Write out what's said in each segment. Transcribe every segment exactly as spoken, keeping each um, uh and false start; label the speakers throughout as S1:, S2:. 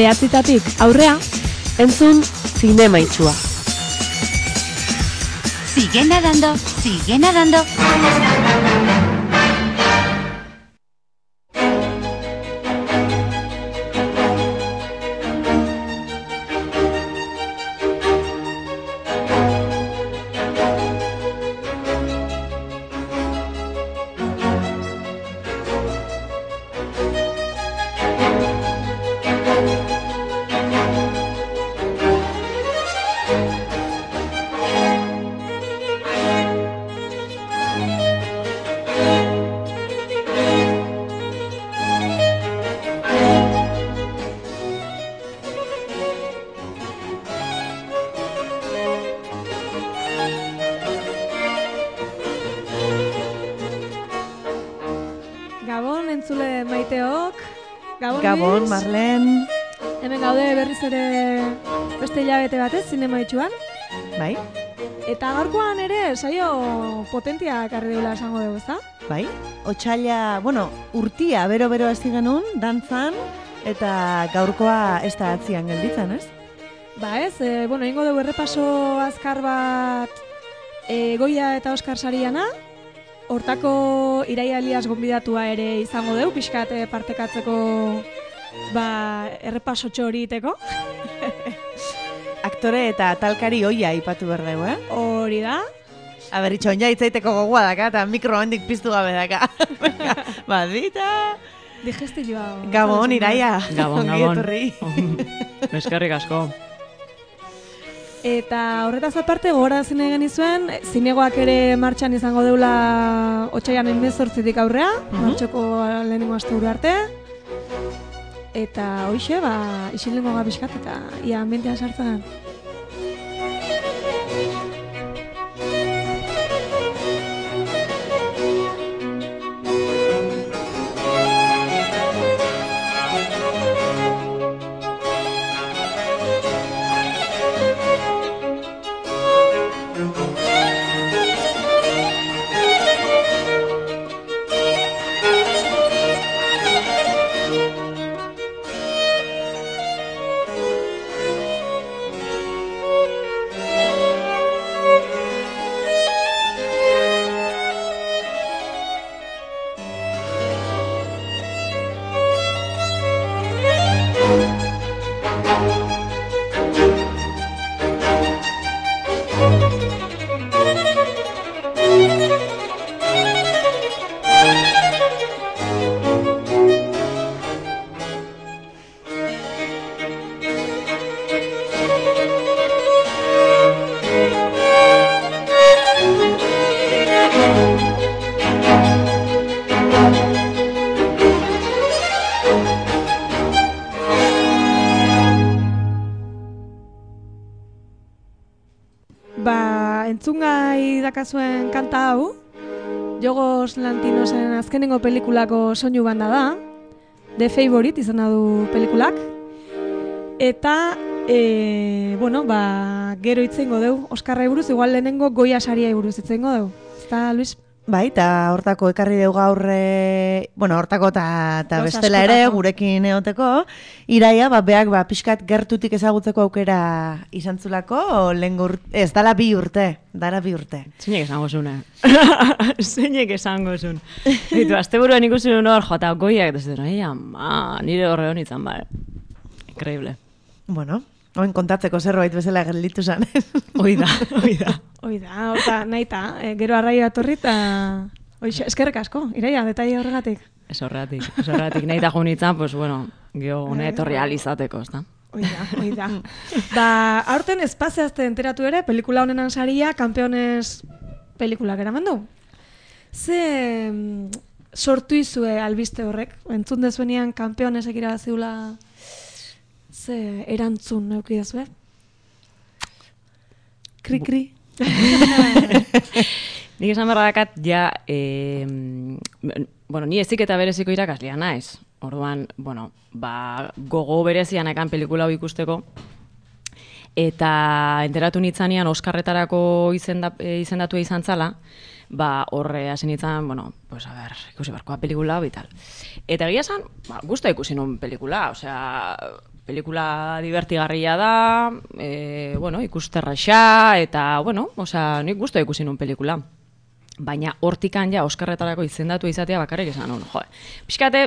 S1: Behatzitatik aurrea, entzun zinema itxua.
S2: Sigue nadando, sigue nadando.
S3: Gabon, Marlen.
S1: Hemen gaude berriz ere beste hilabete batez, zinema itxuan.
S3: Bai.
S1: Eta gaurkoan ere saio potentia ekarri deula esango dugu, ezta?
S3: Bai. Otsaila, bueno, urtia bero-bero hasi genuen, dantzan, eta gaurkoa ez da atzian gelditzen, ez?
S1: Ba ez, e, bueno, ingo dugu errepaso azkar bat e, Goya eta Oskar sariana. Hortako Iraia Elias gonbidatua ere izango dugu, pixkat partekatzeko ba, errepasotxo hori iteko.
S3: Aktore eta talkari hoia ipatu behar dugu, eh?
S1: Hori da.
S3: Aber, itxon ja itzaiteko gogoa daka, eta mikro handik piztu gabe daka. Badita.
S1: Digestilloa.
S3: Gabon, Iraia.
S4: Gabon, gabon. Eskerrik asko.
S1: Eta horretaz aparte, gora zine genizuen, zinegoak ere martxan izango deula otsaian hemezortzitik aurrea, uh-huh. Martxoko lehenengo asteburu arte. Eta hoixe, ba, isilengo gabiskat eta ia mentean sartzen. Entzungai dakazuen kanta hau, Jogos Lantinosen azkenengo pelikulako soinu banda da, The Favorite izan du pelikulak, eta, e, bueno, ba, gero itzeingo dugu, Oskarra buruz, igual lehenengo Goya saria buruz itzeingo dugu. Eta, Luis?
S3: Bai, eta hortako ekarri dugu gaur, e, bueno, hortako eta bestela ere gurekin eoteko, Iraia, ba, beak, ba, pixkat gertutik ezagutzeko aukera izan zulako, lehen ez, dala bi urte, dala bi urte.
S4: Zeinek esango zune. Zeinek esango zun. Ditu, azte buruan ikusi nuen hor, jota, Goiak, eta zitzen, ei, ama, nire horre honi izan, ba, increíble.
S3: Bueno, oin kontatzeko zerbait bezala gelditu zan.
S4: Oida, oida.
S1: Oida, horta, nahi ta, e, gero arraia atorri eta eskerrek asko, Iraia, detaile horregatik.
S4: Ez horregatik, ez horregatik, nahi ta junitzen, pues bueno, geho gune etorri alizateko, ez da?
S1: Oida, oida. Ba, aurten espaziazte enteratu ere, pelikula honenan saria, Kampeones pelikulak eraman du. Ze sortu izue albiste horrek, entzun dezuenean Kampeonesek irabaziula ze erantzun neukidazue? Kri-kri.
S4: Nik esan berra dakat, ja, eh, bueno, ni ezik eta bereziko irakaslia naiz. Orduan, bueno, ba, gogo berezian ekan pelikula hau ikusteko. Eta enteratu nitzanean Oskarretarako izenda, izendatu izan zala, ba, horre hasi nintzen, bueno, pues a ver, ikusi barkoa pelikula hau y tal. Eta egia esan, ba, gusta ikusi nun pelikula, osea, pelikula divertigarria da, e, bueno, ikusterraxa, eta, bueno, osea, nik gustu ikusi nun pelikula. Baina hortikan ja Oskarretarako izendatu izatea bakarrik esan nun, jo. Pixkate,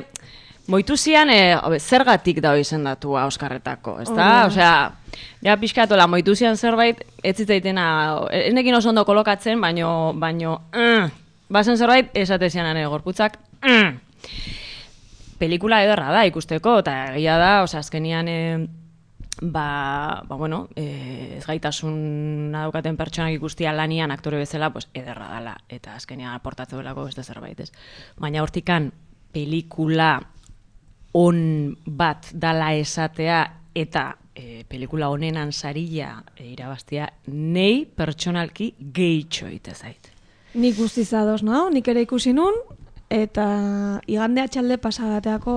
S4: moitu zian, e, obe, zergatik da izendatua Oskarretako, ez da? Osea, ja pixkatola, moitu zian zerbait, ez zitzaitena, enekin oso ondo kolokatzen, baino, baino, mm, bazen zerbait, esate zianan gorputzak, mm. Pelikula ederra da ikusteko, eta egia da, osea, azkenian, e, ba, ba, bueno, e, ez gaitasun daukaten pertsonak ikustia lanian aktore bezala, pues, ederra dala, eta azkenian aportatze belako beste zerbait, ez. Baina hortikan, pelikula on bat dala esatea, eta e, pelikula honenan sarila e, irabaztia, nei pertsonalki gehitxo ite zait.
S1: Nik guztiz ados, no? Nik ere ikusi nun, eta igande atxalde pasagateako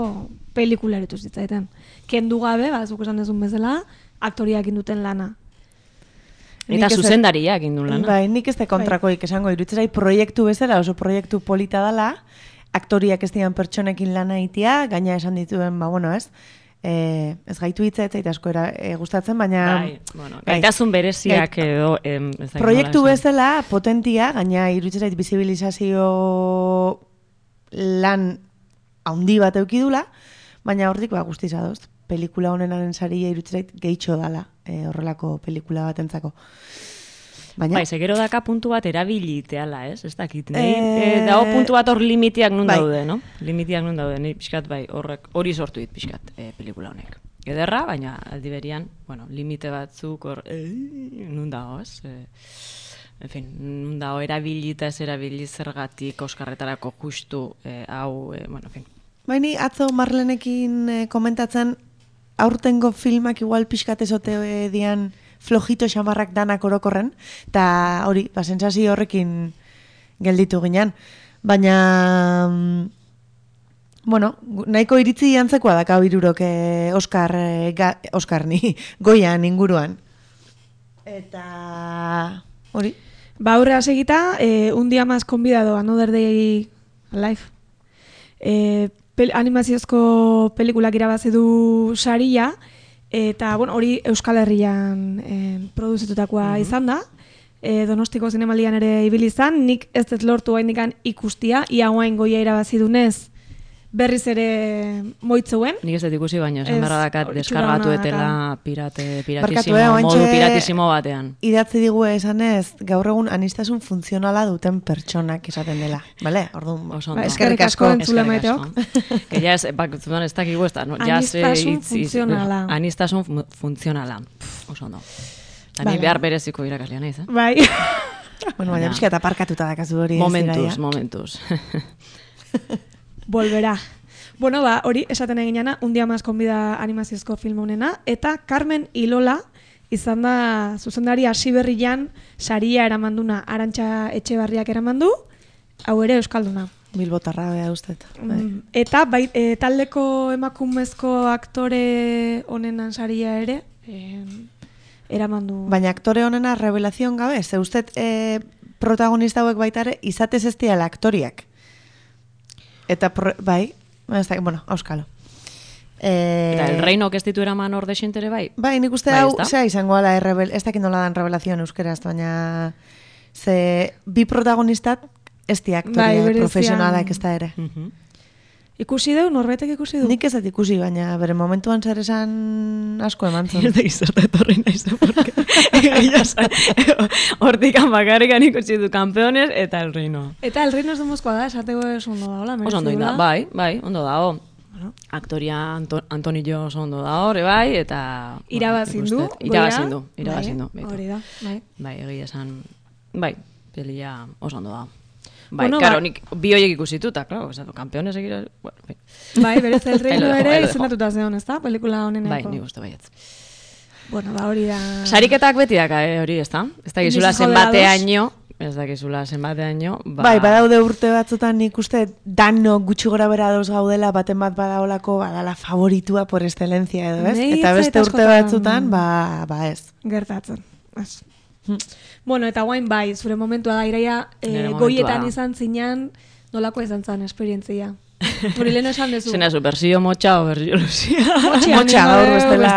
S1: pelikula eritu zitzaiten. Kendu gabe, bazuk esan dezun bezala, aktoriak induten lana.
S4: Eta zuzendariak indun lana.
S3: Bai, nik ez da kontrakoik esango, irutzera proiektu bezala, oso proiektu polita dala, aktoriak ez dian pertsonekin lana itia, gaina esan dituen, ba, bueno, ez, e, ez gaitu hitza ez zaita asko era, e, gustatzen, baina...
S4: Bai, bueno, gaitasun bereziak
S3: Gait,
S4: edo... Em, ez
S3: proiektu bezala, potentia, gaina irutzera bizibilizazio lan haundi bat eukidula, baina hortik ba, guztiz adoz, pelikula honenaren saria irutzera gehitxo dala, e, horrelako pelikula batentzako. Baina...
S4: Bai, segero daka puntu bat erabiliteala, ez? Ez dakit, nahi? E... E, dago puntu bat hor limitiak nun bai. daude, no? Limitiak nun daude, nahi pixkat, bai, horrek, hori sortu dit pixkat e, pelikula honek. Ederra, baina aldi berian, bueno, limite batzuk hor, e, nun dago, ez? E, en fin, nun dago erabilita ez erabili zergatik Oskarretarako justu, e, hau, e, bueno, en fin.
S3: Baini, atzo Marlenekin e, komentatzen, aurtengo filmak igual pixkat ezote e, dian, flojito xamarrak danak orokorren, eta hori, ba, sentsazio horrekin gelditu ginen. Baina, bueno, nahiko iritzi antzekoa daka irurok eh, Oscar, eh, ga, Oscar ni, goian inguruan. Eta, hori.
S1: Ba, aurrea segita, eh, un día más convidado, Another Day Alive. Eh, pel, animaziozko pelikulak irabazi du saria, eta, bueno, hori Euskal Herrian eh, produzitutakoa mm-hmm. izan da. E, Donostiko zinemaldian ere ibili izan, nik ez dut lortu haindikan ikustia, ia guain goia irabazi dunez berriz ere moitzuen.
S4: Nik ez dut ikusi, baina esan berra dakat deskargatu etela pirate, piratisimo,
S3: Barkatu, eh,
S4: modu piratisimo batean.
S3: Idatzi digu esanez, gaur egun anistasun funtzionala duten pertsonak esaten dela. Bale? Orduan,
S1: ba, eskerrik asko entzule maiteok.
S4: Que ya es, bak, ez dakigu ez da, no?
S1: Anistasun funtzionala.
S4: Anistasun funtzionala. Oso ondo. Ani vale. Behar bereziko irakaslea naiz, eh?
S1: Bai.
S3: Bueno, baina pixka eta parkatuta dakazu hori.
S4: Momentuz, momentuz.
S1: Volverá. Bueno, ba, hori esaten eginana, un día más konbida animaziozko film honena, eta Carmen y Lola izan da zuzendari hasi berrian saria eramanduna, Arantxa Etxebarriak eramandu, hau ere euskalduna.
S3: Bilbotarra bea ustet.
S1: Mm, eta bai, e, taldeko emakumezko aktore honenan saria ere, e, eramandu.
S3: Baina aktore honena revelazion gabe, ze ustet e, protagonista hauek baitare izatez ez diala aktoriak. Eta, pro, bai, bueno, auskalo. E...
S4: Eta el reino que ez ditu eraman orde xentere bai?
S3: Bai, nik uste bai, hau, zea izango ala, errebel, ez dakit nola dan revelazion euskeraz, baina ze bi protagonistat ez di aktoria bai, profesionalak ez da ere.
S4: Uh-huh.
S1: Ikusi du, norbetek ikusi du?
S3: Nik ez dut ikusi, baina bere momentuan zer esan asko eman zen.
S4: Ez da izerta etorri nahi zen, porque hortikan bakarrikan ikusi du Campeones eta El Reino.
S1: Eta El Reino ez dumozkoa da, esateko ez ondo da, hola,
S4: oso ondo da, bai, bai, ondo da, bueno. Aktoria Anto, Antonio oso ondo da hori, bai, eta...
S1: Irabazin du,
S4: irabazin du, irabazin du.
S1: Hori da, bai.
S4: Bai, egia esan, bai, pelia oso ondo da. Bai, bueno, karo, ba... nik bi horiek ikusituta, klaro, esatu, Campeones egira... Bueno, bai.
S1: Bai, berez El Reino ere izendatuta zeon, ez da, pelikula honeneko.
S4: Bai, nik uste baietz.
S1: Bueno, ba, hori da...
S4: Sariketak beti daka, eh, hori, ez da? Ez da gizula zenbateaino, ez da gizula zenbateaino, ba...
S3: Bai, badaude urte batzutan nik uste dano gutxi gora bera dauz gaudela, baten bat badaolako, badala favoritua por excelencia edo, ez? Eta beste urte batzutan, ba, ba ez.
S1: Gertatzen, ez. Hmm. Bueno, eta guain bai, zure momentua da, iraia, e, goietan izan zinan, nolako izan zen esperientzia? Hori lehen esan dezu.
S4: Zena zu, berzio motxa o berzio luzia.
S3: Motxa gaur bestela.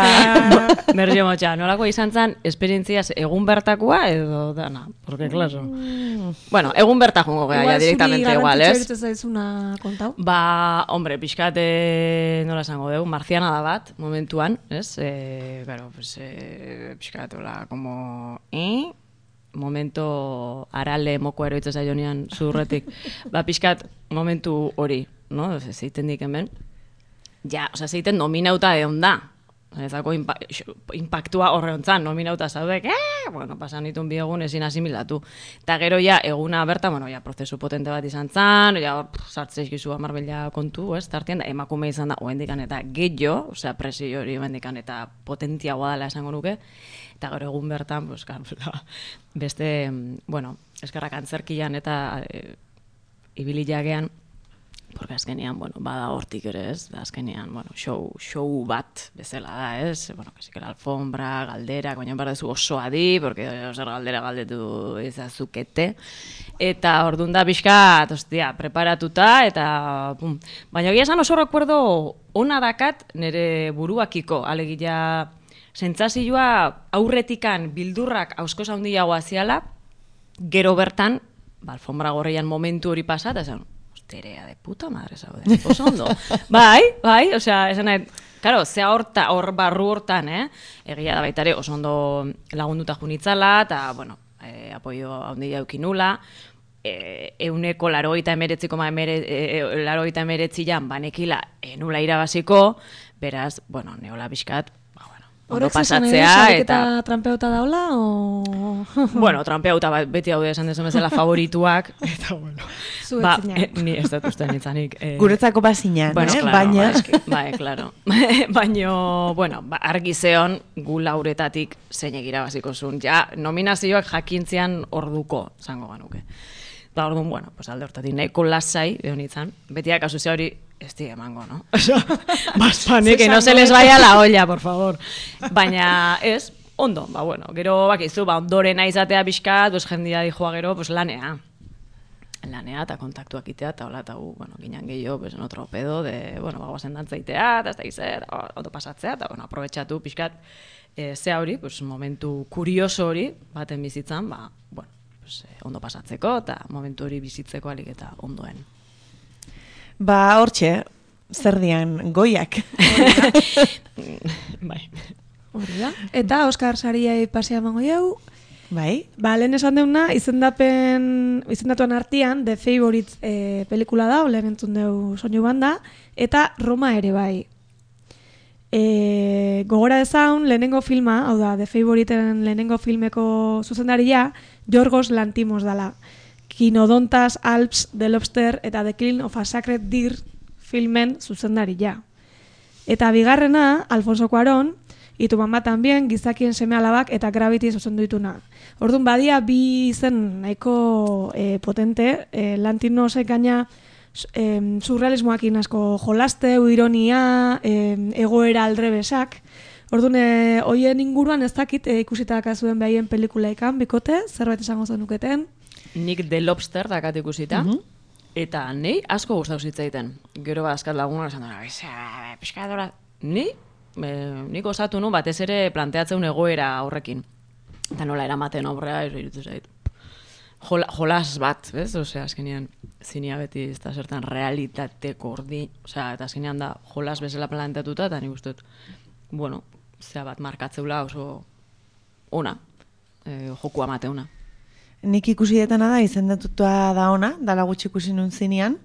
S4: Berzio motxa. Nolako izan zen, esperientziaz egun bertakoa edo dana. Porque, claro. Mm. Bueno, egun berta jungo gea, ya directamente igual, ez?
S1: Igual zuri zaizuna kontau.
S4: Ba, hombre, pixkat, eh, nola esango dugu, marziana da bat, momentuan, ez? Eh, claro, pues, eh, pixkat, hola, como... Eh? Momento arale moko eroitza zailonian zurretik. Ba, pixkat, momentu hori, no? Zeiten dik hemen. Ja, oza, zeiten nominauta egon da. Ezako impa impactua horre hontzan, nominauta zaudek, eh? Bueno, pasan ditun bi egun ezin asimilatu. Eta gero ja, eguna berta, bueno, ja, prozesu potente bat izan zan, ja, sartzeizkizu amarbila kontu, ez? Tartien da, emakume izan da, oendikan eta gehiago, osea, presio hori oendikan eta potentziagoa dela esango nuke. Eta gero egun bertan, pues, beste, bueno, eskerrak antzerkian eta e, ibili jagean, porque azkenean, bueno, bada hortik ere, ez? Da azkenean, bueno, show, show bat bezala da, ez? Bueno, kasikera alfombra, galderak, baina bardezu osoa di, porque oser galdera galdetu ezazukete. Eta ordun da pixkat, ostia, preparatuta, eta pum. Baina egia esan oso recuerdo ona dakat nire buruakiko, alegia sentsazioa aurretikan bildurrak auskoz handiagoa ziala, gero bertan, ba, alfombra gorrian momentu hori pasa, eta esan, osterea de puta madre zaude, oso ondo. Bai, bai, osea, esan nahi, claro, zea horta, hor barru hortan, eh? Egia da baitare, oso ondo lagunduta junitzala, eta, bueno, eh, apoio handia eukinula, eh, euneko laroita emeretziko, ma emere, eh, laroita emeretzian, banekila, enula irabaziko, beraz, bueno, neola bizkat, ondo pasatzea, eta...
S1: trampeuta daula, o...
S4: Bueno, trampeuta beti haude esan dezu bezala favorituak, eta bueno... Ba, eh, ni ez dut uste nintzanik... Eh...
S3: Guretzako bazinan,
S4: bueno,
S3: eh?
S4: Claro,
S3: Baina...
S4: Ba, eski, ba, eh, claro. Baina, bueno, ba, argi zeon gu lauretatik zein egira baziko zuen. Ja, nominazioak jakintzean orduko, zango ganuke. Ba, orduan, bueno, pues alde hortatik nahiko lasai, edo nintzen, betiak asuzia hori... Esti emango, no? Baspanek, que no se les vaya la olla, por favor. Baina, ez, ondo, ba, bueno, gero, bakizu, ba, ondorena izatea pixkat, pues, jendia dijoa gero, pues, lanea. Lanea, eta kontaktuak itea, eta hola, eta, uh, bueno, ginean gehiago, pues, en otro pedo, de, bueno, ba, guazen dantzaitea, eta ez da izet, ondo pasatzea, eta, bueno, aprobetxatu pixkat, e, zea hori, pues, momentu kurioso hori, baten bizitzan, ba, bueno, pues, eh, ondo pasatzeko, eta momentu hori bizitzeko alik eta ondoen.
S3: Ba, hortxe, zer dian, goiak.
S4: Bai.
S1: Hori da. Eta Oskar Sariai pasea emango jau.
S3: Bai.
S1: Ba, lehen esan deuna, izendapen, izendatuan artian, The Favourite eh, pelikula da, lehen entzun deu soinu banda, eta Roma ere bai. E, gogora dezaun, lehenengo filma, hau da, The Favouriten lehenengo filmeko zuzendaria, Yorgos Lanthimos dala. Kinodontas, Alps, The Lobster eta The Killing of a Sacred Deer filmen zuzendaria. Eta bigarrena, Alfonso Cuarón, y Tu mamá también, Gizakien seme alabak eta Gravity zuzendu dituna. Orduan badia bi izen nahiko eh, potente, eh, Lanthimosek gaina eh, surrealismoakin asko jolaste, ironia, eh, egoera aldrebesak. Orduan, eh, hoien inguruan ez dakit eh, ikusitaka zuen behaien pelikulaikan, bikote, zerbait esango zenuketen.
S4: Nik The Lobster dakat ikusita, uh -huh. eta nei asko gustatu zitzaiten. Gero askat laguna esan dara, pixkadora, ni, e, nik osatu nu batez ere planteatzen egoera horrekin. Eta nola eramaten aurrea, iruditu zait. Jol, jolas bat, bez? Osea, azkenean, zinia beti ez da zertan realitateko ordi, osea, eta azkenean da jolas bezala planteatuta, eta nik ustut, bueno, zea bat markatzeula oso ona, e, joku amateuna.
S3: Nik ikusi detana da, izendatuta da ona, dala gutxi ikusi nun zinean.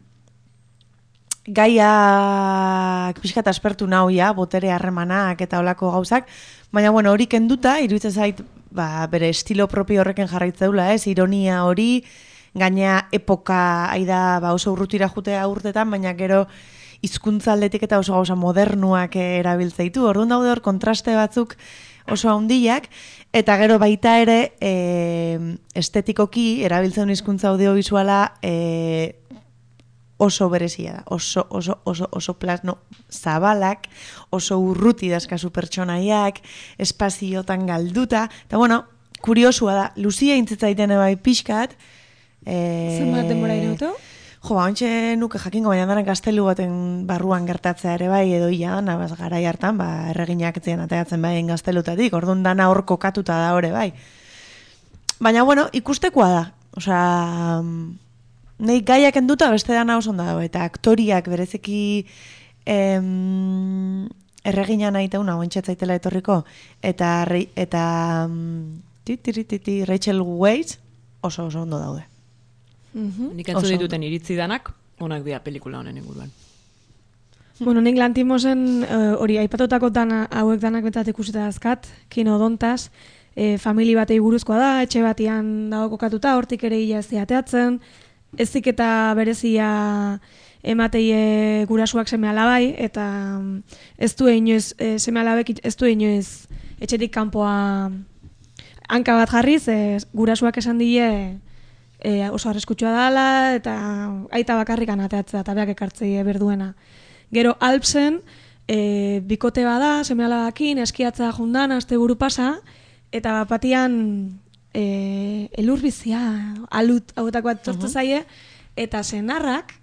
S3: Gaiak pixkat aspertu nauia, botere harremanak eta olako gauzak, baina bueno, hori kenduta, iruditzen zait, ba, bere estilo propio horreken jarraitzeula, ez, ironia hori, gaina epoka aida ba, oso urrutira jutea urtetan, baina gero hizkuntza aldetik eta oso gauza modernuak erabiltzeitu. Orduan daude hor kontraste batzuk oso handiak, eta gero baita ere e, estetikoki erabiltzen hizkuntza audiovisuala e, oso berezia da, oso, oso, oso, oso plasno zabalak, oso urruti dazkazu pertsonaiak, espaziotan galduta, eta bueno, kuriosua da, luzia intzitzaiten bai pixkat. E,
S1: Zenbat denbora irautu?
S3: Jo, ba, ontxe nuke jakingo, baina daren gaztelu baten barruan gertatzea ere bai, edo ia, nabaz garai hartan, ba, erreginak etzien ateatzen bai gaztelutatik, orduan dana hor kokatuta da hori bai. Baina, bueno, ikustekoa da. Osea, nahi gaiak enduta beste dana oso ondo dago, eta aktoriak berezeki em, erregina nahi teuna, ointxetzaitela etorriko, eta, rei, eta ti, ti, ti, ti, Rachel Weisz oso oso ondo daude.
S4: Nik entzu dituten iritzi danak, onak dira pelikula honen inguruan.
S1: Bueno, nik Lantimosen hori uh, aipatutako dana hauek danak betat ikusita dazkat, kinodontas, e, famili batei buruzkoa da, etxe batian dago kokatuta, hortik ere ia ez ateatzen, ezik eta berezia emateie gurasuak seme alabai, eta ez du inoiz, e, seme alabek ez du inoiz etxetik kanpoa hanka bat jarriz, e, gurasuak esan die e, oso arriskutsua dala, eta aita bakarrikan ateatzea, eta beak ekartzei berduena. Gero Alpsen, e, bikote bada, seme alabakin, eskiatzea jundan, aste buru pasa, eta batian e, elurbizia, alut hauetako bat tortu zaie, eta senarrak,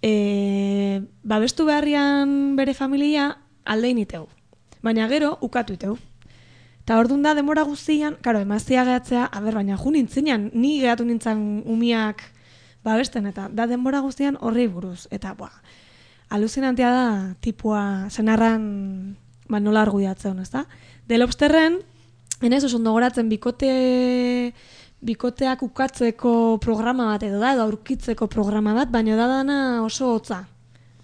S1: e, babestu beharrian bere familia aldein iteu. Baina gero, ukatu iteu. Eta orduan da, demora guztian, karo, emazia gehatzea, aber, baina ju nintzenean, ni gehatu nintzen umiak babesten, eta da denbora guztian horrei buruz. Eta, boa, aluzinantea da, tipua, senarran, ba, nola argudiatzen, ez da? The Lobsterren, enez, oso ondo goratzen, bikote, bikoteak ukatzeko programa bat edo da, edo aurkitzeko programa bat, baina da dana oso hotza.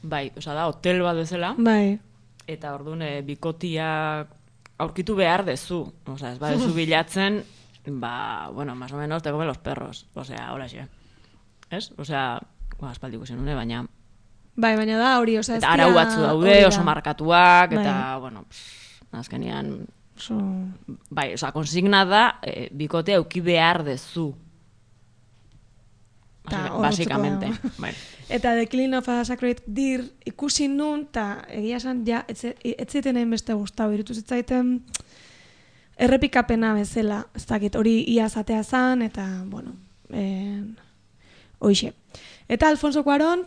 S4: Bai, oza da, hotel bat bezala.
S1: Bai.
S4: Eta orduan, e, bikotiak aurkitu behar dezu. Oza, ez badezu bilatzen, ba, bueno, más o menos te comen los perros. Osea, hola xe. Ez? Osea, ba, espaldiko zen une, baina...
S1: Bai, baina da hori, oza, ez
S4: eta arau batzu daude, oso markatuak, eta, bai. Bueno, pff, azkenean...
S1: So...
S4: Bai, oza, konsigna da, e, bikote auki behar dezu. Basikamente. Bai.
S1: Eta The Killing of a Sacred Deer ikusi nun, eta egia esan, ja, etzeiten egin beste guztau, irutu zitzaiten errepikapena bezala, ez dakit, hori ia zatea zan, eta, bueno, en, hoixe. Eta Alfonso Cuarón,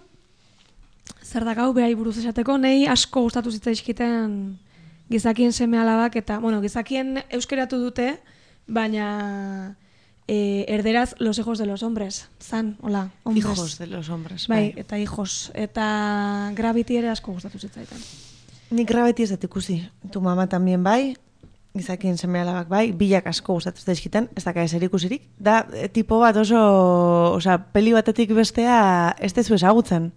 S1: zer da gau behai buruz esateko, nahi asko gustatu zitzaizkiten gizakien seme alabak, eta, bueno, gizakien euskeratu dute, baina... Eh, erderaz los hijos de los hombres, zan, hola, hombres.
S3: Hijos de los hombres,
S1: bai. Bai, eta hijos, eta Gravity ere asko gustatu zitzaitan.
S3: Nik Gravity ez dut ikusi, tu mama tambien bai, gizakien seme alabak bai, bilak asko gustatu zaizkitan, ez daka eser ikusirik, da tipo bat oso, oza, peli batetik bestea ez dezu ezagutzen.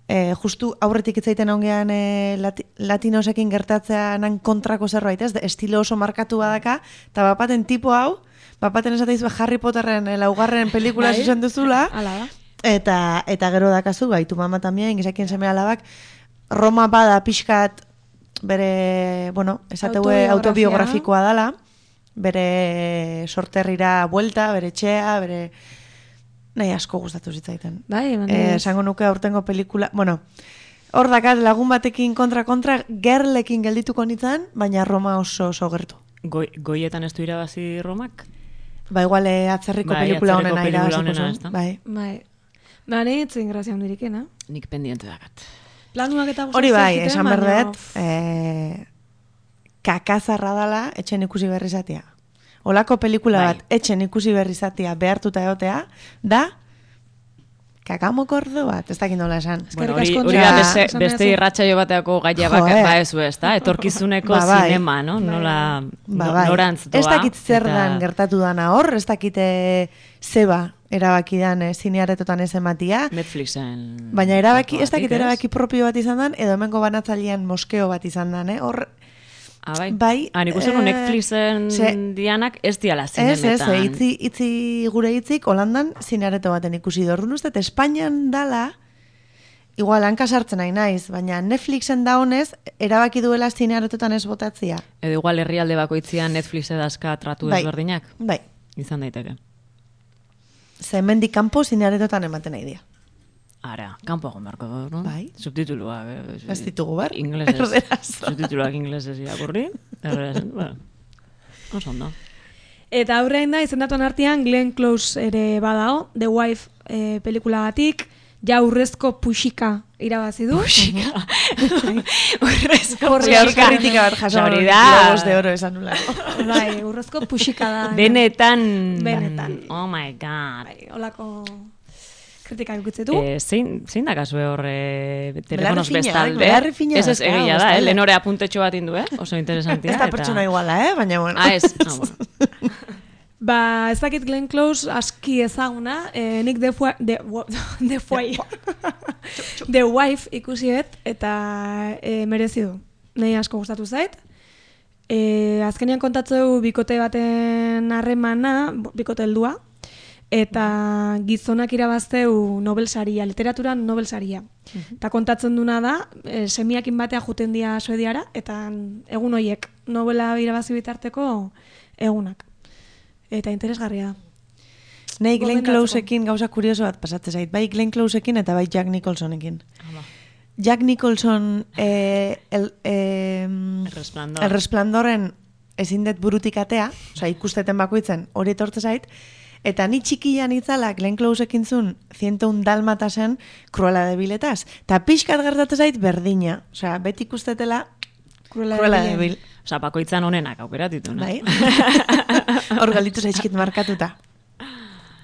S3: E, justu aurretik itzaiten ongean e, lati, latinosekin gertatzeanan kontrako zerbait, ez, estilo oso markatu badaka, eta bapaten tipo hau, bapaten esateizu Harry Potterren laugarren pelikula zuzen duzula, eta, eta gero dakazu, bai, tu mama tambien, gizakien seme alabak, Roma bada pixkat bere, bueno, esateue autobiografikoa dala, bere sorterrira buelta, bere txea, bere... Nahi asko gustatu zitzaiten.
S1: Bai,
S3: eh, esango nuke aurtengo pelikula, bueno, hor dakat lagun batekin kontra-kontra, gerlekin geldituko nintzen, baina Roma oso oso gertu.
S4: Goi, goietan ez du irabazi Romak?
S3: Ba, igual eh, atzerriko bai, pelikula honena irabaziko
S4: zen.
S3: Bai.
S1: Bai. Ba, nahi etzen grazia hondirikena.
S4: Nik pendiente dakat.
S1: Planuak eta guztatzen.
S3: Hori bai, esan berdet, eh, kakazarra dala etxen ikusi berri zatia. Olako pelikula bai. Bat etxen ikusi berri zatia behartuta egotea, da kakamokordo bat, ez dakit nola esan.
S4: Bueno, hori hori da beste, beste irratsaio bateako gaia bak, ba ez ez da, etorkizuneko ba, bai. Zinema, no? Nola
S3: ba, bai.
S4: norantz doa.
S3: Ez dakit zer
S4: eta...
S3: dan gertatu dana hor, ez dakite zeba erabaki dan eh, zinearetotan ez ematia.
S4: Netflixen.
S3: Baina erabaki, ez dakit erabaki propio bat izan dan, edo hemengo banatzailean moskeo bat izan dan, eh? Hor
S4: Ah, bai.
S3: bai
S4: ah, nik uste eh, Netflixen se, dianak ez diala zinemetan.
S3: Ez, ez, itzi, itzi gure hitzik Holandan zineareto baten ikusi dordun uste, Espainian dala, igual hanka sartzen nahi naiz, baina Netflixen da honez, erabaki duela zinearetotan ez botatzia.
S4: Edo igual herrialde bakoitzian Netflix edazka tratu
S3: bai,
S4: ezberdinak?
S3: Bai.
S4: Izan daiteke.
S3: Ze mendik kanpo zinearetotan ematen nahi dia.
S4: Ara, kanpo egon beharko du, no?
S3: Bai.
S4: Subtituluak.
S3: Eh, ez ditugu behar.
S4: Inglesez. Subtituluak inglesez irakurri. Erderaz, bueno. Oso ondo.
S1: Eta aurrein da, izendatuen artean Glenn Close ere badao, The Wife eh, pelikulagatik, ja urrezko puxika irabazi du.
S4: Puxika. Urrezko
S3: Gaur
S4: puxika.
S3: kritika bat jaso.
S4: Hori da.
S3: Globos de oro esan nula.
S1: Bai, urrezko puxika da.
S4: Benetan.
S1: Benetan.
S4: Oh my god.
S1: Bai, olako kritika ikutzetu.
S4: Eh, zein, zein da kasue hor eh, telefonos
S3: Belarri fina,
S4: bestalde?
S3: belarri fina
S4: Ez ez,
S3: da,
S4: egia da, eh?
S3: bestalde.
S4: Lehenore apuntetxo bat indu, eh? Oso interesantia.
S3: Ez da pertsona iguala, eh? Baina bueno.
S4: Ah, ez. Ah, bueno.
S1: Ba, ez dakit Glenn Close aski ezaguna, eh, nik The Fui, The, the, Fui, The Wife ikusiet, eta eh, merezi du. Nei asko gustatu zait. Eh, azkenean kontatzeu bikote baten harremana, bikote heldua, eta gizonak irabazteu Nobel saria, literaturan Nobel saria. Eta kontatzen duna da, e, semiakin batea juten dia Suediara, eta egun hoiek Nobela irabazi bitarteko egunak. Eta interesgarria da.
S3: Nei Glenn
S1: Gomendatzeko.
S3: Closeekin gauza kurioso bat pasatzen zait. Bai Glenn Closeekin eta bai Jack Nicholsonekin.
S4: Ama.
S3: Jack Nicholson eh, el, eh,
S4: El Resplandor.
S3: el Resplandorren ezin dut burutik atea, osea ikusteten bakoitzen hori etortze zait, eta ni txikian itzala Glenn Closeekin zun ciento un dálmatasen Cruella de Viletaz. Ta pixkat gertatzen zait berdina, osea beti ikustetela
S1: Cruella de
S3: Cruella de
S1: Vil.
S3: Vil.
S4: Osa, bakoitzan honenak aukeratitu, no?
S3: Bai. Hor galitu zaizkit markatuta.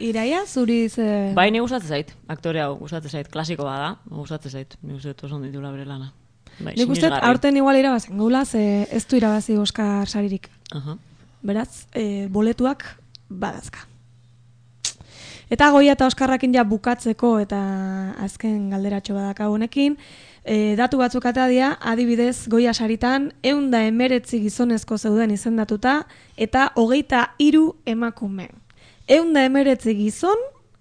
S1: Iraia, zuri ze...
S4: Bai, ni gustatzen zait, aktore hau gustatzen zait, klasiko bada, gustatzen zait, ni uste dut oso ondo ditula bere lana. Bai,
S1: Nik uste,
S4: sinesgarri.
S1: aurten igual irabazen gaula, ze ez du irabazi Oscar saririk.
S4: Aha.
S1: Beraz, e, boletuak badazka. Eta Goia eta Oskarrakin ja bukatzeko eta azken galderatxo badaka honekin, e, datu batzuk atea dira, adibidez Goia saritan, ehun da emeretzi gizonezko zeuden izendatuta, eta hogeita hiru emakume. Ehun da emeretzi gizon,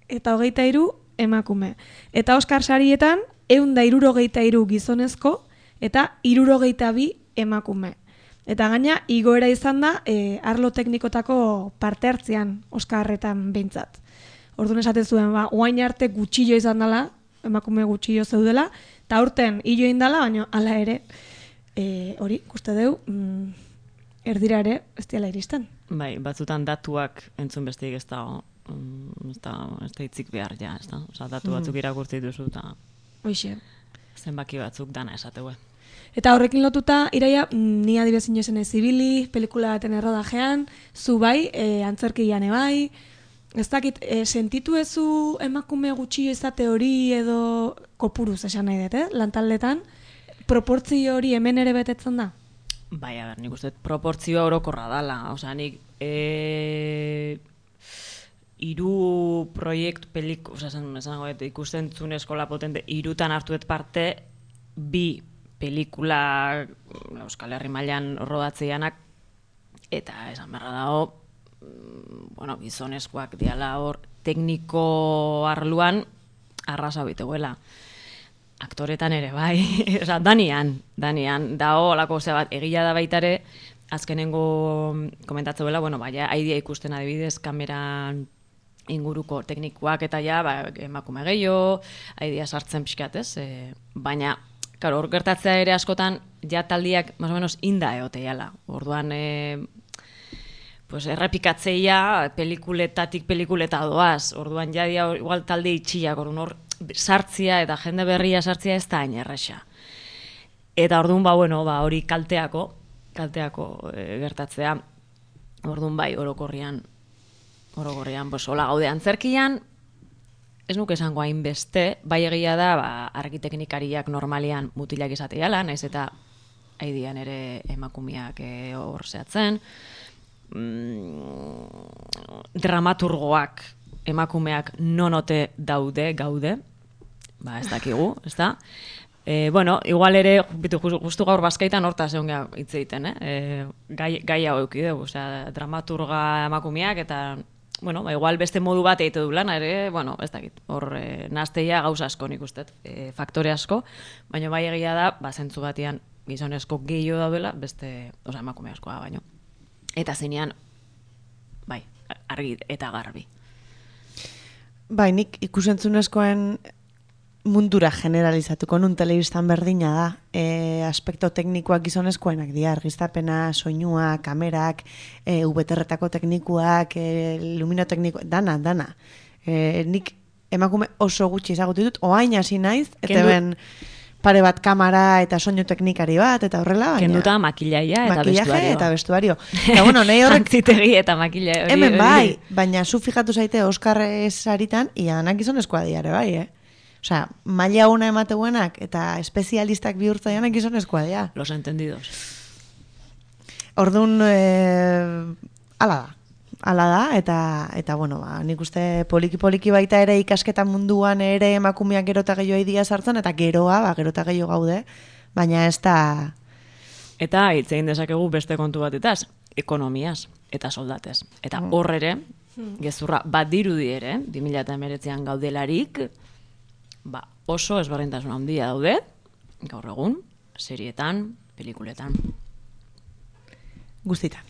S1: eta hogeita hiru emakume. Eta Oskar sarietan, ehun da hirurogeita hiru gizonezko, eta hirurogeita bi emakume. Eta gaina, igoera izan da, e, arlo teknikotako parte hartzean Oskarretan behintzat. Orduan esaten zuen, ba, oain arte gutxillo izan dela, emakume gutxillo zeudela, eta aurten hilo indala, baina hala ere, e, hori, ikuste deu, mm, erdira ere, ez diala iristen.
S4: Bai, batzutan datuak entzun besteik ez da, mm, ez da, ez da hitzik behar, ja, ez da? Osa, datu batzuk irakurti duzu, eta
S1: Hoixe.
S4: zenbaki batzuk dana esateue.
S1: Eta horrekin lotuta, Iraia, mm, ni adibidez inozen ez zibili, pelikula baten errodajean, zu bai, e, antzerkian bai, ez dakit, e, sentitu ezu emakume gutxillo izate hori edo kopuruz esan nahi dut, eh? Lantaldetan, proportzio hori hemen ere betetzen da?
S4: Bai, a ber, nik uste dut proportzioa orokorra dala, osea, nik e, hiru proiektu pelik, osea, esan, esan goet, ikusten zuen eskola potente, hirutan hartuet parte, bi pelikula Euskal Herri mailan rodatzeianak, eta esan beharra dago, bueno, gizonezkoak diala hor tekniko arluan arrasa biteguela. Aktoretan ere, bai, oza, danian, danian, dao, olako, ose bat, egia da baitare, azkenengo komentatzeuela, bueno, baina, haidia ikusten adibidez, kameran inguruko teknikoak eta ja, ba, emakume gehiago, haidia sartzen pixkat, ez? E, baina, claro, hor gertatzea ere askotan, ja taldiak, más o menos, inda eoteiala. Orduan, e, pues errepikatzeia pelikuletatik pelikuleta doaz. Orduan ja dia igual talde itxiak, orduan hor sartzia eta jende berria sartzia ez da hain erresa. Eta orduan ba bueno, ba hori kalteako, kalteako e, gertatzea. Orduan bai orokorrian orokorrian pues hola gaude antzerkian. Ez nuke esango hainbeste, bai egia da, ba arkiteknikariak normalean mutilak izateiala, naiz eta haidian ere emakumeak e, hor zehatzen. Dramaturgoak emakumeak nonote daude, gaude, ba ez dakigu, ez da? E, bueno, igual ere, bitu, justu gaur bazkaitan hortaz egon geha hitz egiten, eh? E, gai, gai hau eukideu, osea, dramaturga emakumeak eta, bueno, ba, igual beste modu bat egite du lana ere, bueno, ez dakit, hor e, nazteia gauza asko nik ustet, e, faktore asko, baina bai egia da, ba, zentzu batian gizonezko gehiago daudela, beste, osea, emakume askoa baino. Eta zenean, bai, argi eta garbi.
S3: Bai, nik ikusentzunezkoen mundura generalizatuko nun telebistan berdina da. E, aspekto teknikoak gizonezkoenak dira, argiztapena, soinua, kamerak, e, ubeterretako teknikoak, e, luminoteknikoak, dana, dana. E, nik emakume oso gutxi ezagutu ditut, oain hasi naiz, eta
S4: Kendu-
S3: ben pare bat kamera eta soinu teknikari bat, eta horrela, baina...
S4: Kenduta makillaia eta
S3: makillaje
S4: vestuarioa.
S3: eta vestuario. Eta bueno, nahi horrek...
S4: Jantzitegi eta makillaia. hori-
S3: Hemen
S4: hori-
S3: bai, baina zu fijatu zaite Oscar saritan, ianak gizonezkoa diare bai, eh? Osea, maila una emateguenak eta espezialistak bihurtza ianak gizonezkoa dira.
S4: Los entendidos.
S3: Orduan, eh, ala da. Ala da, eta, eta bueno, ba, nik uste poliki-poliki baita ere ikasketa munduan ere emakumeak gero eta gehiago idia sartzen, eta geroa, ba, gero eta gehiago gaude, baina ez da...
S4: Eta hitz egin dezakegu beste kontu batetaz, ekonomiaz eta soldatez. Eta hor ere, gezurra bat dirudi ere, bi mila hemeretzian gaudelarik, ba, oso ezberdintasun handia daude, gaur egun, serietan, pelikuletan.
S3: Guztitan.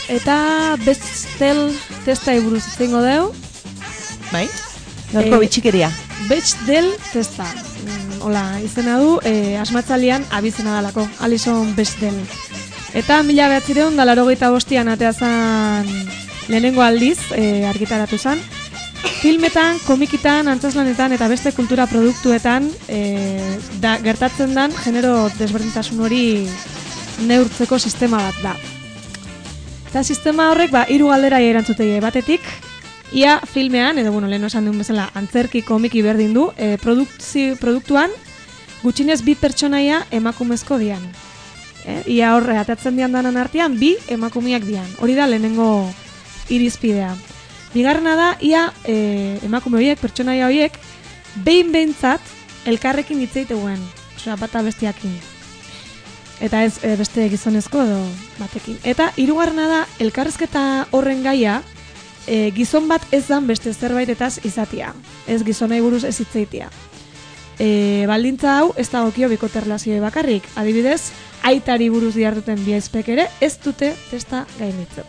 S1: Eta Bechdel testa buruz izango deu.
S3: Bai? Gaurko
S1: Eh,
S3: bitxikeria.
S1: Bechdel testa. Mm, Hola, izena du, eh, asmatzalian abizena dalako, Alison Bechdel. Eta mila behatzireun da larogeita bostian atea zan lehenengo aldiz eh, argitaratu zan. Filmetan, komikitan, antzaslanetan eta beste kultura produktuetan eh, da, gertatzen dan genero desberdintasun hori neurtzeko sistema bat da. Eta sistema horrek ba, hiru galdera erantzutei batetik, ia filmean, edo bueno, lehen esan duen bezala, antzerki komiki berdin du, e, produktzi, produktuan gutxinez bi pertsonaia emakumezko dian. E, ia horre, atatzen dian danan artean, bi emakumeak dian. Hori da lehenengo irizpidea. Bigarrena da, ia e, emakume horiek, pertsonaia horiek, behin behintzat elkarrekin hitz egiteuen, osea, bata bestiakin. eta ez e, beste gizonezko edo batekin. Eta hirugarrena da, elkarrizketa horren gaia, e, gizon bat ez dan beste zerbaitetaz izatia. Ez gizonei buruz ez hitzeitia. E, baldintza hau ez dagokio bikote erlazioi bakarrik. Adibidez, aitari buruz diarduten bi aizpek ere ez dute testa gainditzen.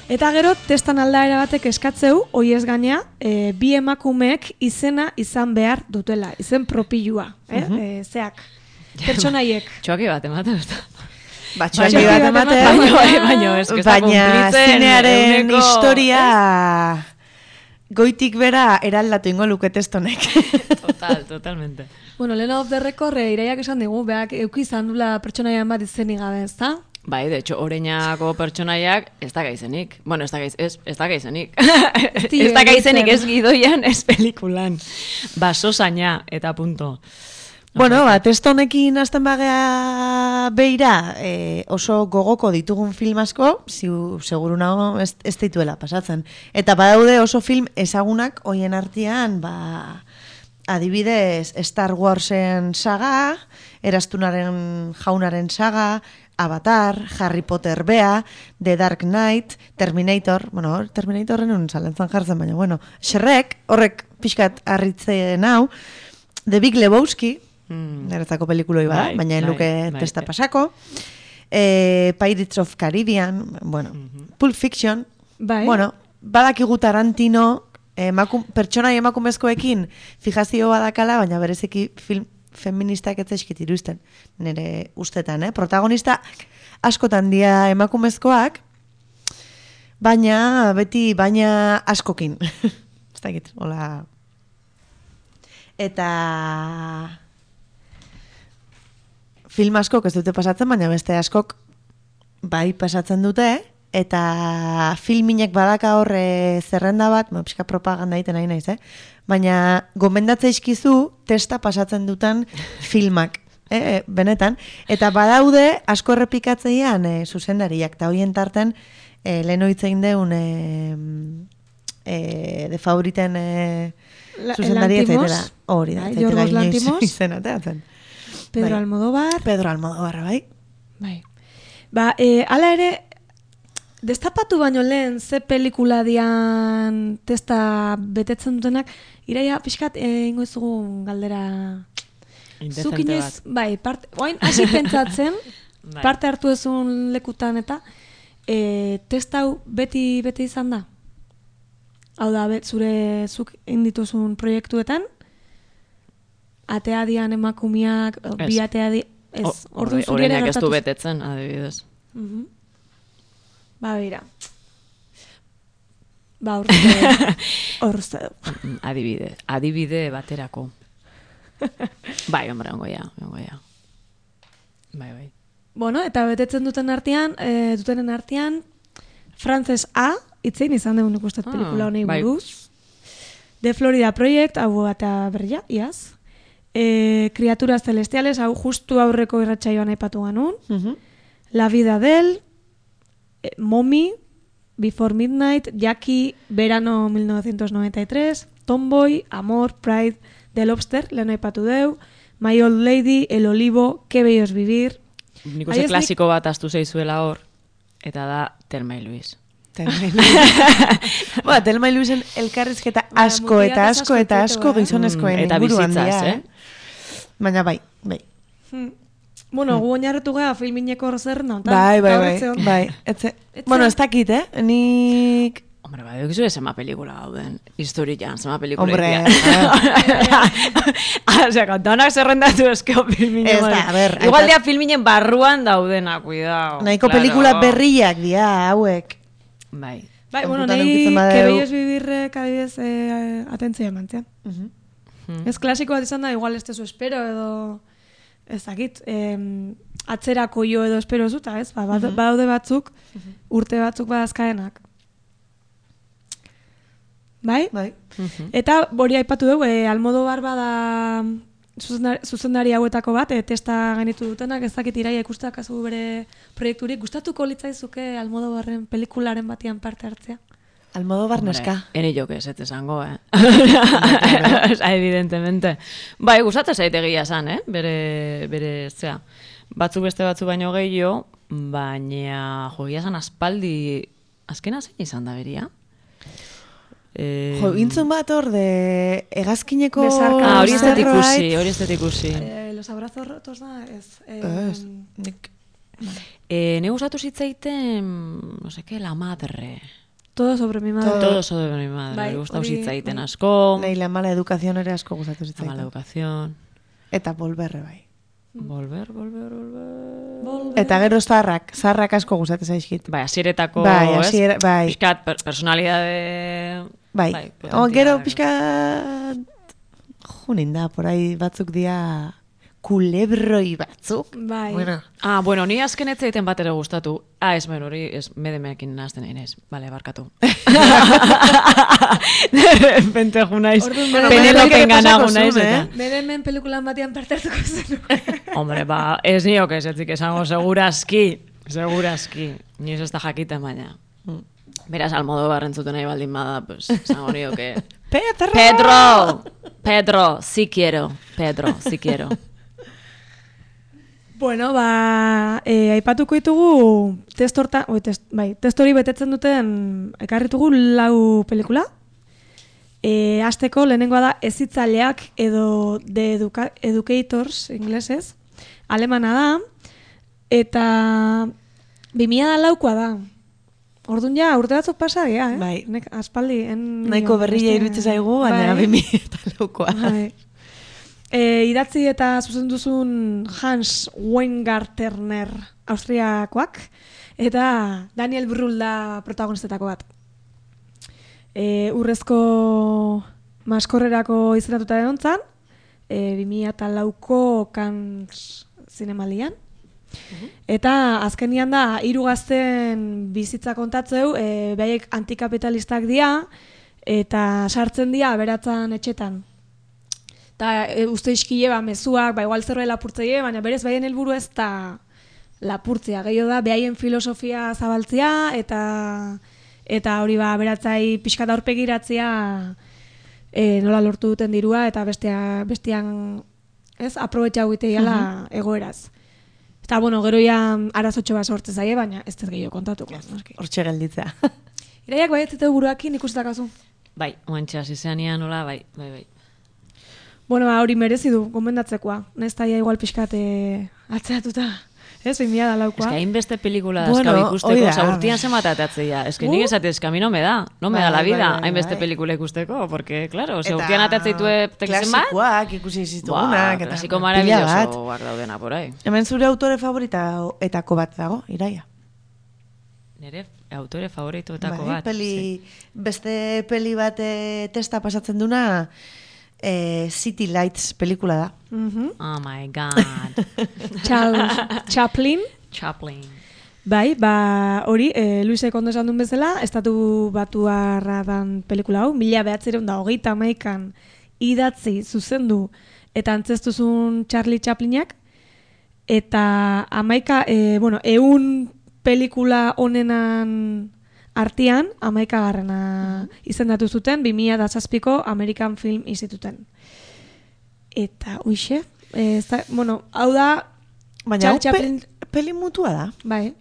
S1: Eta gero, testan aldaera batek eskatzeu, hoi ez gaina, e, bi emakumeek izena izan behar dutela, izen propilua, eh?
S3: Mhm.
S1: e, zeak, pertsonaiek.
S4: Txoki bat ematen, ez da.
S3: Ba,
S1: Txoki
S3: txoki bat
S1: bat
S3: ematen,
S1: ematen,
S4: Baina, bai, baina, ez que ez da
S3: baina
S4: kumplitzen,
S3: zinearen
S4: eguneko-
S3: historia goitik bera eraldatu ingo luke testonek.
S4: Total, totalmente.
S1: Bueno, lehen of the record, e, iraiak esan digu, beak euki izan dula pertsonaian bat izenik gabe, ez da?
S4: Bai, de hecho, oreinako pertsonaiak ez da gaizenik. Bueno, ez da gaiz, ez, ez da gaizenik.
S1: Dio,
S4: ez da gaizenik
S1: gaitzen.
S4: ez gidoian, ez pelikulan. Baso zaina, eta punto.
S3: Bueno, ba, testo honekin hasten bagea beira, e, oso gogoko ditugun film asko, ziu, seguru nago ez, ez dituela pasatzen. Eta badaude oso film ezagunak hoien artean, ba, adibidez Star Warsen saga, Erastunaren jaunaren saga, Avatar, Harry Potter bea, The Dark Knight, Terminator, bueno, Terminatorren un zalentzan jartzen, baina, bueno, Shrek, horrek pixkat harritzen hau, The Big Lebowski,
S4: Mm.
S3: niretzako pelikuloi bada,
S4: Bai,
S3: baina
S4: bai,
S3: luke
S4: bai.
S3: testa pasako, eh, Pirates of Caribbean, bueno, Pulp Fiction,
S1: Bai.
S3: bueno, badakigu Tarantino, emakum, pertsonai emakumezkoekin fijazio badakala, baina bereziki film feministak ez zaizkit iruzten, nire ustetan, eh? Protagonista askotan dia emakumezkoak, baina beti baina askokin. Ez dakit, hola. Eta film askok ez dute pasatzen, baina beste askok bai pasatzen dute, eta filminek badaka horre zerrenda bat, ma, pixka propaganda egiten nahi naiz, eh? Baina gomendatze izkizu testa pasatzen duten filmak, eh, benetan. Eta badaude asko errepikatzeian eh, zuzendariak, eta horien tarten eh, lehen oitzein deun eh, eh, de favoriten eh,
S1: La-
S3: zuzendari ez
S1: Lantimos.
S3: zaitela. Hori da,
S1: Bai,
S3: ez zaitela
S1: Yorgos
S3: inoiz
S1: Lantimos.
S3: izena teatzen.
S1: Pedro
S3: Bai.
S1: Almodóvar.
S3: Pedro Almodóvar, bai.
S1: Bai. Ba, e, ala ere, destapatu baino lehen ze pelikula dian testa betetzen dutenak, iraia pixkat e, ingo izugu galdera. Zuk
S4: Indezente
S1: inoiz,
S4: bat.
S1: bai, part, oain hasi pentsatzen,
S4: Bai.
S1: parte hartu ezun lekutan eta, e, testa hau beti bete izan da? Hau da, bet, zure zuk indituzun proiektuetan, atea dian emakumiak,
S4: Ez.
S1: bi atea di... Ez,
S4: O-
S1: orduan
S4: ore-
S1: zuri ere
S4: Oreinak ez du
S1: gertatu-
S4: betetzen, adibidez.
S1: Mhm. Ba, beira. Ba, urte, orte.
S4: Mm, Adibide, adibide baterako. Bai, hombre, ongo ja, ongo ja. Bai, bai.
S1: Bueno, eta betetzen duten artean, e, dutenen artean, Frances A, itzein izan dugu nik ustet
S4: Ah,
S1: pelikula honei
S4: bai.
S1: buruz. The Florida Project, hau eta berria, iaz. E, Criaturas Celestiales, hau justu aurreko irratsaioan aipatu ganun.
S3: Mhm.
S1: La Vida del, eh, Mommy, Before Midnight, Jackie, Verano mil novecientos noventa y tres, Tomboy, Amor, Pride, The Lobster, lehen aipatu deu, My Old Lady, El Olivo, Qué bello es vivir.
S4: Nik
S1: Ai,
S4: uste
S1: ez
S4: klasiko bat astu zeizuela hor, eta da Telma y Luis.
S3: Telma y Luis. Ba, Telma y Luisen elkarrizketa
S1: Ba,
S3: asko
S1: mutilak
S3: eta
S1: asko
S3: asko eta
S1: ditu,
S3: asko
S1: eh?
S3: gizonezkoen
S4: Mm, eta
S3: inguruan
S4: bizitzaz,
S3: dira,
S4: eh?
S3: Baina bai, bai.
S1: Hmm. Bueno, gu oinarritu gara filmineko zerna.
S3: Bai, bai, bai, bai. Etze,
S1: Etze-
S3: bueno, ez dakit, eh? Nik...
S4: Hombre, bai, dukizu zema pelikula gauden. Historian, zema pelikula.
S3: Hombre,
S4: Osea, kontanak zerrendatu eskeo filminen.
S3: Ez da, a ber,
S4: Igual
S3: aipat-
S4: dia filminen barruan daudena, cuidao.
S3: nahiko
S4: Claro.
S3: pelikula berriak dira, hauek.
S4: Bai.
S1: Bai, bueno,
S3: Kontutan
S1: nahi
S3: edukitzen badeu.
S1: Que bello es vivirrek adibidez eh, atentzia emantzian.
S3: Mhm.
S4: Hmm.
S1: Ez klasiko bat izan da, igual ez tezu espero edo... Ez dakit, em, atzerako jo edo espero zuta, ez? Ba, bad- badaude batzuk, urte batzuk badazkaenak. Bai?
S3: Bai.
S1: Eta hori aipatu dugu, e, Almodóvar bada zuzendari, zuzendari hauetako bat, e, testa gainitu dutenak, ez dakit iraia ikustak azu bere proiekturik. Gustatuko litzaizuke Almodóvarren pelikularen batian parte hartzea?
S3: Almodóvar neska.
S4: Ene jo que ez ez esango, eh? Evidentemente. Bai, gustatzen zait egia esan, eh? Bere, bere, zea, batzu beste batzu baino gehiago, baina jo, egia esan aspaldi, azkena zein izan da beria? Eh,
S3: Jo, intzun bat hor de hegazkineko...
S1: Besarka.
S4: ah, hori ez dut
S3: zerbait.
S4: ikusi, hori ez dut ikusi.
S1: Eh, los abrazos rotos da, ez. Eh,
S3: Ez, nik...
S4: Eh, ne gustatu zitzaiten, no sé qué, la madre.
S1: Todo sobre mi madre.
S4: Todo sobre mi madre.
S1: Bai,
S4: Me gustatu
S1: hori-
S4: zitzaiten
S1: bai.
S4: asko.
S3: Nahi la mala educación ere asko gustatu
S4: La
S3: zitzaiten.
S4: mala educación.
S3: Eta volberre bai.
S4: Volver, volver, volver.
S1: Volver.
S3: Eta gero zarrak, zarrak asko gustatzen zaizkit.
S4: Bai, hasieretako,
S3: Bai,
S4: ez?
S3: hasiera- bai.
S4: Piskat, per personalidade...
S3: Bai,
S4: potentea
S3: o, gero
S4: da.
S3: pixka... Junin da, por ahí batzuk dia kulebroi batzuk.
S1: Bai.
S3: Bueno,
S4: Ah, bueno, ni azken ez zaiten bat ere gustatu. Ah, ez, bueno, hori ez medemeekin nazten inez. Vale, barkatu. De repente ju naiz.
S1: Orduan, bueno,
S4: Penelopen
S3: Penelope
S4: gana
S3: pasako
S4: gu naiz.
S3: zuen,
S4: eta-
S1: Bere hemen pelikulan batean parte hartuko zen.
S4: Hombre, ba, ez nioke ez etzik esango segurazki. Segurazki. Ni ez ez da jakiten baina. Beraz, Almodóvar entzuten nahi baldin bada, pues, esango nioke...
S3: Pedro!
S4: Pedro! Pedro, sí quiero. Pedro, sí quiero.
S1: Bueno, ba, e, aipatuko ditugu testorta, oi, test, bai, testori betetzen duten ekarritugu lau pelikula. E, Azteko lehenengoa da Hezitzaileak edo The Educa Educators inglesez. Alemana da eta bi mila laukoa da. Orduan ja, urte batzuk pasa gea, eh?
S3: Bai.
S1: Nek, aspaldi. En,
S3: Nahiko berria
S1: beste-
S3: iruditzen zaigu, baina
S1: Bai.
S3: bi mila eta laukoa.
S1: Bai. E, idatzi eta zuzen duzun Hans Weingartner Austriakoak eta Daniel Brühl da protagonistetako bat. E, urrezko maskorrerako izendatuta egon zan, e, bi mila lauko Cannes zinemalian. Eta azkenian da hiru gazten bizitza kontatzeu, e, behaiek antikapitalistak dira eta sartzen dira aberatzan etxetan. Eta e, uste iskile ba, mezuak, ba, igual zerbait lapurtzeie, baina berez behaien helburu ez da lapurtzea. Gehiago da, behaien filosofia zabaltzea, eta eta hori ba, beratzai pixkat aurpegiratzea e, nola lortu duten dirua, eta bestea, bestean ez, aprobetxa guiteiala egoeraz. Eta, bueno, gero ja arazotxo bat sortze zaie, baina ez dut gehiago kontatuko. noski.
S3: Hortxe gelditzea.
S1: Iraiak bai ez zitu buruakin ikustakazu.
S4: Bai, oantxe hasi zenean nola, bai, bai, bai.
S1: Bueno, ba, hori merezi du, gomendatzekoa. Nez taia igual pixkate atzeratuta. Ez, bi mila laukoa.
S4: Es que hainbeste pelikula
S3: Bueno,
S4: bueno, ikusteko,
S3: hoi da.
S4: oza, urtian zenbat atatzea. Es que
S1: Uh.
S4: nik esate, es que a mi no me da, no me
S3: Bai,
S4: da la
S3: bai,
S4: vida,
S3: bai,
S4: hainbeste
S3: bai.
S4: pelikula ikusteko, porque, claro, ze
S3: Eta
S4: urtian atatzeitue tekizen bat,
S3: klasikoak ikusi zitugunak.
S4: Buah,
S3: eta
S4: klasiko
S3: pila bat.
S4: maravillosoak daudena por ahí.
S3: Hemen zure autore favorita etako bat dago, Iraia.
S4: Nire autore favoritoetako
S3: Bai,
S4: bat.
S3: peli, beste peli bat eh, testa pasatzen duna eh, City Lights pelikula da.
S1: Mhm.
S4: Oh my god.
S1: Charles Chaplin.
S4: Chaplin.
S1: Bai, ba, hori, e, Luisek ondo esan duen bezala, estatu batuarra dan pelikula hau, mila behatzireun da hogeita hamaikan idatzi zuzendu eta antzestuzun Charlie Chaplinak, eta hamaika, e, bueno, eun pelikula honenan artean, hamaika garrena izendatu zuten, bi mila zazpiko American Film Instituten. Eta, uixe, e, ez da, bueno, hau da,
S3: Baina hau
S1: Charles
S3: pe,
S1: Chaplin-
S3: peli mutua da.
S1: bai,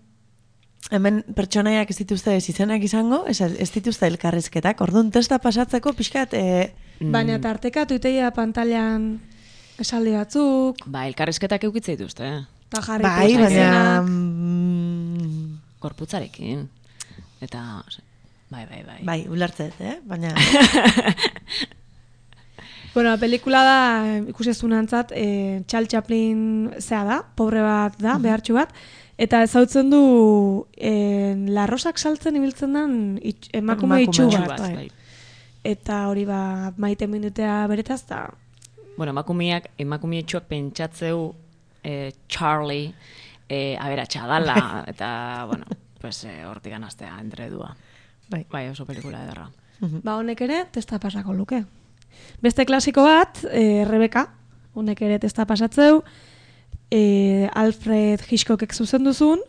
S3: Hemen pertsonaiak ez dituzte ez izenak izango, ez, ez dituzte elkarrizketak. Orduan testa pasatzeko pixkat... E,
S1: baina tartekatu iteia pantailan esaldi batzuk,
S4: Ba, elkarrizketak eukitze dituzte, eh?
S1: eta jarri
S3: bai,
S1: dituzte
S3: baina...
S1: izenak.
S3: mm,
S4: Korputzarekin. Eta, bai, bai, bai.
S3: bai, ulertzet, eh? Baina...
S1: Bueno, la pelikula da, eh, ikusi ez dunantzat, eh, Charles Chaplin zea da, pobre bat da, behartxu bat, eta ezautzen du eh, larrosak saltzen ibiltzen den itx, emakume
S3: Emakume
S1: itxu
S3: itxu
S1: bat.
S3: bat,
S4: bai.
S1: Eta hori ba, maite minutea beretaz, eta
S4: Bueno, emakumeak, emakumeetxoak pentsatzeu eh, Charlie eh, aberatsa dala, eta, bueno, pues eh, hortik anaztea entredua.
S3: Bai.
S4: Bai, oso pelikula ederra.
S1: ba honek ere testa pasako luke. Beste klasiko bat, e, Rebeka, honek ere testa pasatzeu, e, Alfred Hitchcockek zuzen duzun,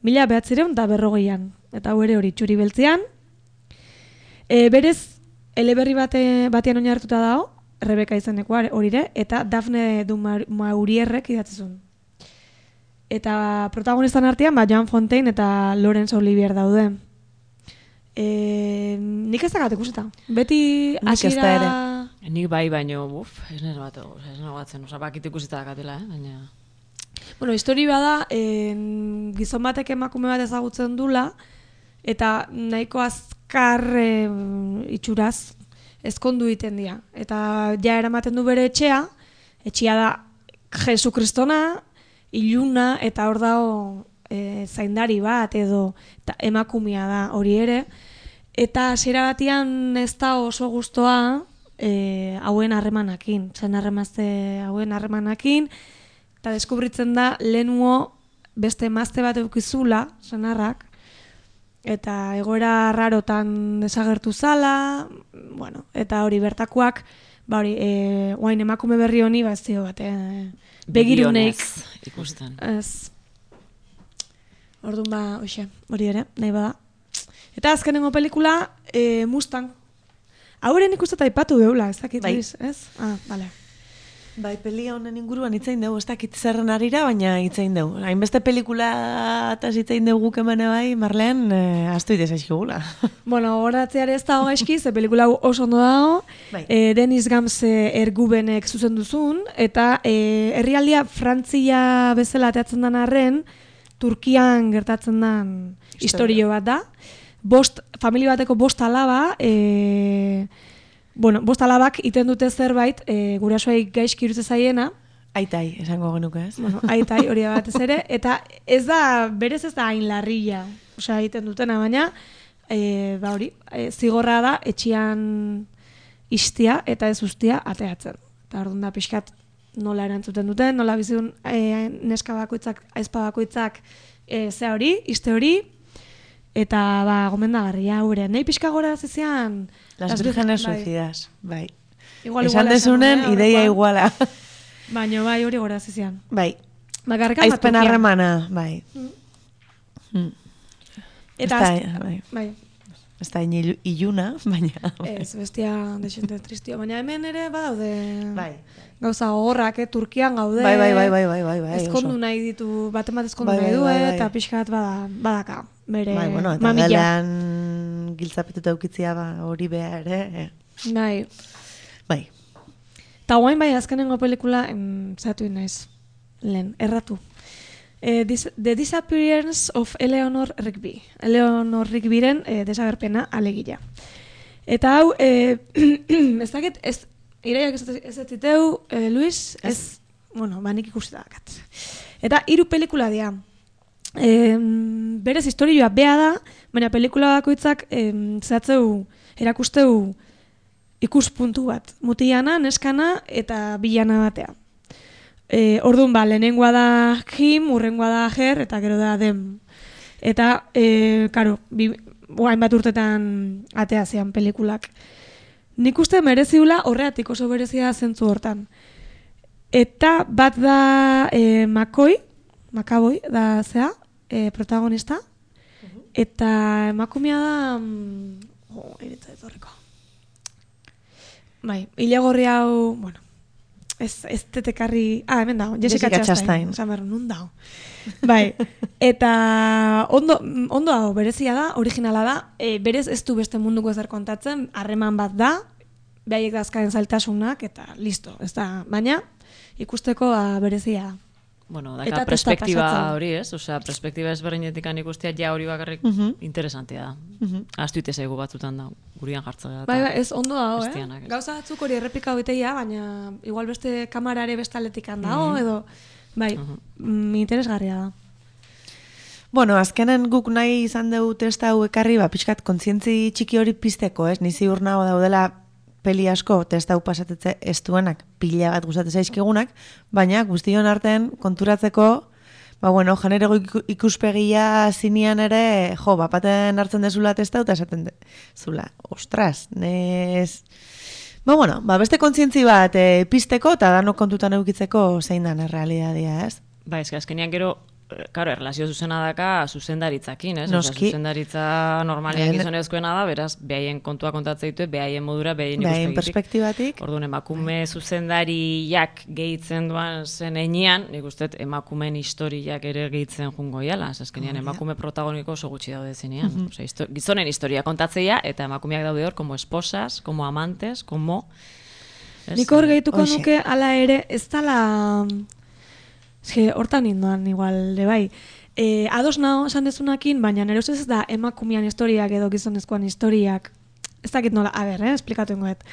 S1: mila behatzireun da berrogeian. Eta hau ere hori txuri beltzean. E, berez, eleberri bate, batean oinartuta dago, Rebeka izeneko horire, eta Dafne du Maurierrek idatzizun. Eta protagonistan artean, ba, Joan Fontaine eta Laurence Olivier daude. E, nik ez dagat ikuseta. Beti hasiera...
S4: Nik bai, baino, buf, ez nire bat, ez nire batzen, oza, bakit ikuseta dakatela, eh, baina...
S1: Bueno, histori bada, en, gizon batek emakume bat ezagutzen dula, eta nahiko azkar e, itxuraz ezkondu egiten dira. Eta ja eramaten du bere etxea, etxea da Jesu Kristona, iluna, eta hor dago e, zaindari bat edo eta emakumea da hori ere. Eta hasiera batean ez da oso gustoa e, hauen harremanakin, zen harremazte hauen harremanakin, eta deskubritzen da lehenuo beste emazte bat eukizula, senarrak, eta egoera rarotan desagertu zala, bueno, eta hori bertakoak, ba hori, e, oain emakume berri honi, ba ez dio bat, e, begiruneik.
S4: Ikusten.
S1: Ez. Orduan ba, hoxe, hori ere, nahi bada. Eta azkenengo pelikula, e, Mustang. Hauren ikusteta aipatu geula, ez dakit,
S3: bai.
S1: Ez? Ah, bale.
S3: Bai, pelia honen inguruan hitzein dugu, ez dakit zerren arira, baina hitzein dugu. Hainbeste pelikula eta hitzein dugu kemene bai, Marleen, eh, astu idez aizkigula.
S1: Bueno, horatzeare ez dago gaizki, ze pelikula oso ondo dago,
S3: Bai.
S1: e, Denis Gamse ergubenek zuzen duzun, eta e, herrialdia Frantzia bezala ateatzen den arren, Turkian gertatzen den historio bat da. Bost, familia bateko bost alaba, e, bueno, bost alabak iten dute zerbait, e, gurasoei gaizki irutze zaiena.
S3: Aitai, esango genuke ez?
S1: Bueno, aitai hori da batez ere, eta ez da, berez ez da hain larria, osea, egiten dutena, baina, e, ba hori, e, zigorra da etxian istia eta ez ustia ateatzen. Eta orduan da pixkat nola erantzuten duten, nola bizitun e, neska bakoitzak, aizpa bakoitzak e, ze hori, iste hori, eta ba, gomendagarria gure. Nei pixka gora zezian...
S3: Las vírgenes suicidas, bai.
S1: Igual,
S3: esan
S1: igual,
S3: desunen,
S1: esan,
S3: ideia iguala.
S1: Baina bai hori gora zezian.
S3: Bai.
S1: Bakarrik
S3: Aizpen harremana, bai. Mm.
S1: Eta
S3: ez
S1: az...
S3: da, bai.
S1: bai.
S3: Ez da inilu- iluna, baina...
S1: Ez, bestia desente tristio. Baina hemen ere badaude...
S3: Bai.
S1: Gauza gogorrak, eh? Turkian gaude.
S3: Bai, bai, bai, bai, bai, bai, bai.
S1: Ezkondu
S3: oso.
S1: nahi ditu, baten bat ezkondu
S3: Bai,
S1: nahi
S3: bai,
S1: du,
S3: bai, bai.
S1: eta pixkat bada, badaka. Bere
S3: Bai, bueno, eta
S1: mamila.
S3: galean giltzapetuta ukitzia ba, hori behar, ere.
S1: Bai.
S3: Bai.
S1: Ta guain bai azkenengo pelikula, em, zatu naiz, lehen, erratu. Eh, dis, The Disappearance of Eleanor Rigby. Eleanor Rigbyren eh, desagerpena alegia. Eta hau, eh, ez dakit, ez, iraiak ez ez diteu, eh, Luis, ez, ez bueno, ba nik ikusi dakat. Eta hiru pelikula dira. Eh, berez historioa bea da, baina pelikula bakoitzak eh, zehatzeu, erakusteu ikuspuntu bat. Mutiana, neskana eta bilana batea. E, orduan ba, lehenengoa da Jim, urrengoa da Her, eta gero da Dem. Eta, e, karo, bi, hainbat urtetan atea zean pelikulak. Nik uste mereziula horreatik oso berezia zentzu hortan. Eta bat da e, Makoi, Makaboi da zea, e, protagonista, eta emakumea da... Mm, oh, iritza ez horreko. Bai, hile gorri hau, bueno, ez, ez tetekarri... Ah, hemen dago, Jessica,
S3: Jessica
S1: Chastain.
S3: Chastain.
S1: Osa, berro, nun dago. Bai, eta ondo, ondo dago, berezia da, originala da, e, berez ez du beste munduko ezer kontatzen, harreman bat da, behaiek dazkaren zailtasunak, eta listo, ez da, baina ikusteko ba, berezia da.
S4: Bueno,
S1: Eta
S4: daka
S1: testa
S4: perspektiba
S1: pasatzen.
S4: hori, ez? Osea, perspektiba ezberdinetik ikustea ja hori bakarrik
S3: Mhm.
S4: interesantea da.
S3: Mhm.
S4: Ahaztu ite zaigu batzutan da, gurian jartzea.
S1: Bai, bai, ez ondo dago, eh?
S4: Bestianak, ez.
S1: Gauza batzuk hori errepika beteia, baina igual beste kamarare beste aletikan dago, edo, bai, mm, interesgarria da.
S3: Bueno, azkenen guk nahi izan dugu testa hau ekarri, ba, pixkat kontzientzi txiki hori pizteko, ez? Ni ziur nago daudela peli asko testa hau pasatetze ez duenak, pila bat gustatzen zaizkigunak, baina guztion artean konturatzeko, ba, bueno, genero iku- ikuspegia zinean ere, jo, bapaten hartzen dezula testa hau, eta esaten dezula, ostras, nez... Ba, bueno, ba, beste kontzientzi bat e, pizteko, eta danok kontutan eukitzeko zein dan errealitatea, ez?
S4: Ba, ez, azkenean gero Karo, erlazio zuzena daka zuzendaritzakin, ez?
S3: Noski.
S4: Osa, zuzendaritza normalian gizonezkoena da, beraz, behaien kontua kontatzea ditu, behaien modura, behaien
S3: Behaien
S4: ikuspegitik.
S3: perspektibatik.
S4: Orduan, emakume zuzendariak gehitzen duan zen enean, nik uste emakumeen historiak ere gehitzen jungo iala, azkenean emakume protagoniko oso gutxi daude zenean.
S3: Mhm.
S4: Osea, histo- gizonen historia kontatzeia, eta emakumeak daude hor, como esposas, como amantes, como... ez?
S1: Nik hor gehituko
S3: Hoxe.
S1: nuke, ala ere, ez dala... Eske, hortan indoan, igual, de bai. E, ados nao, esan dezunakin, baina nire ustez ez da emakumean historiak edo gizonezkoan historiak. Ez dakit nola, a ber, eh, esplikatu ingoet.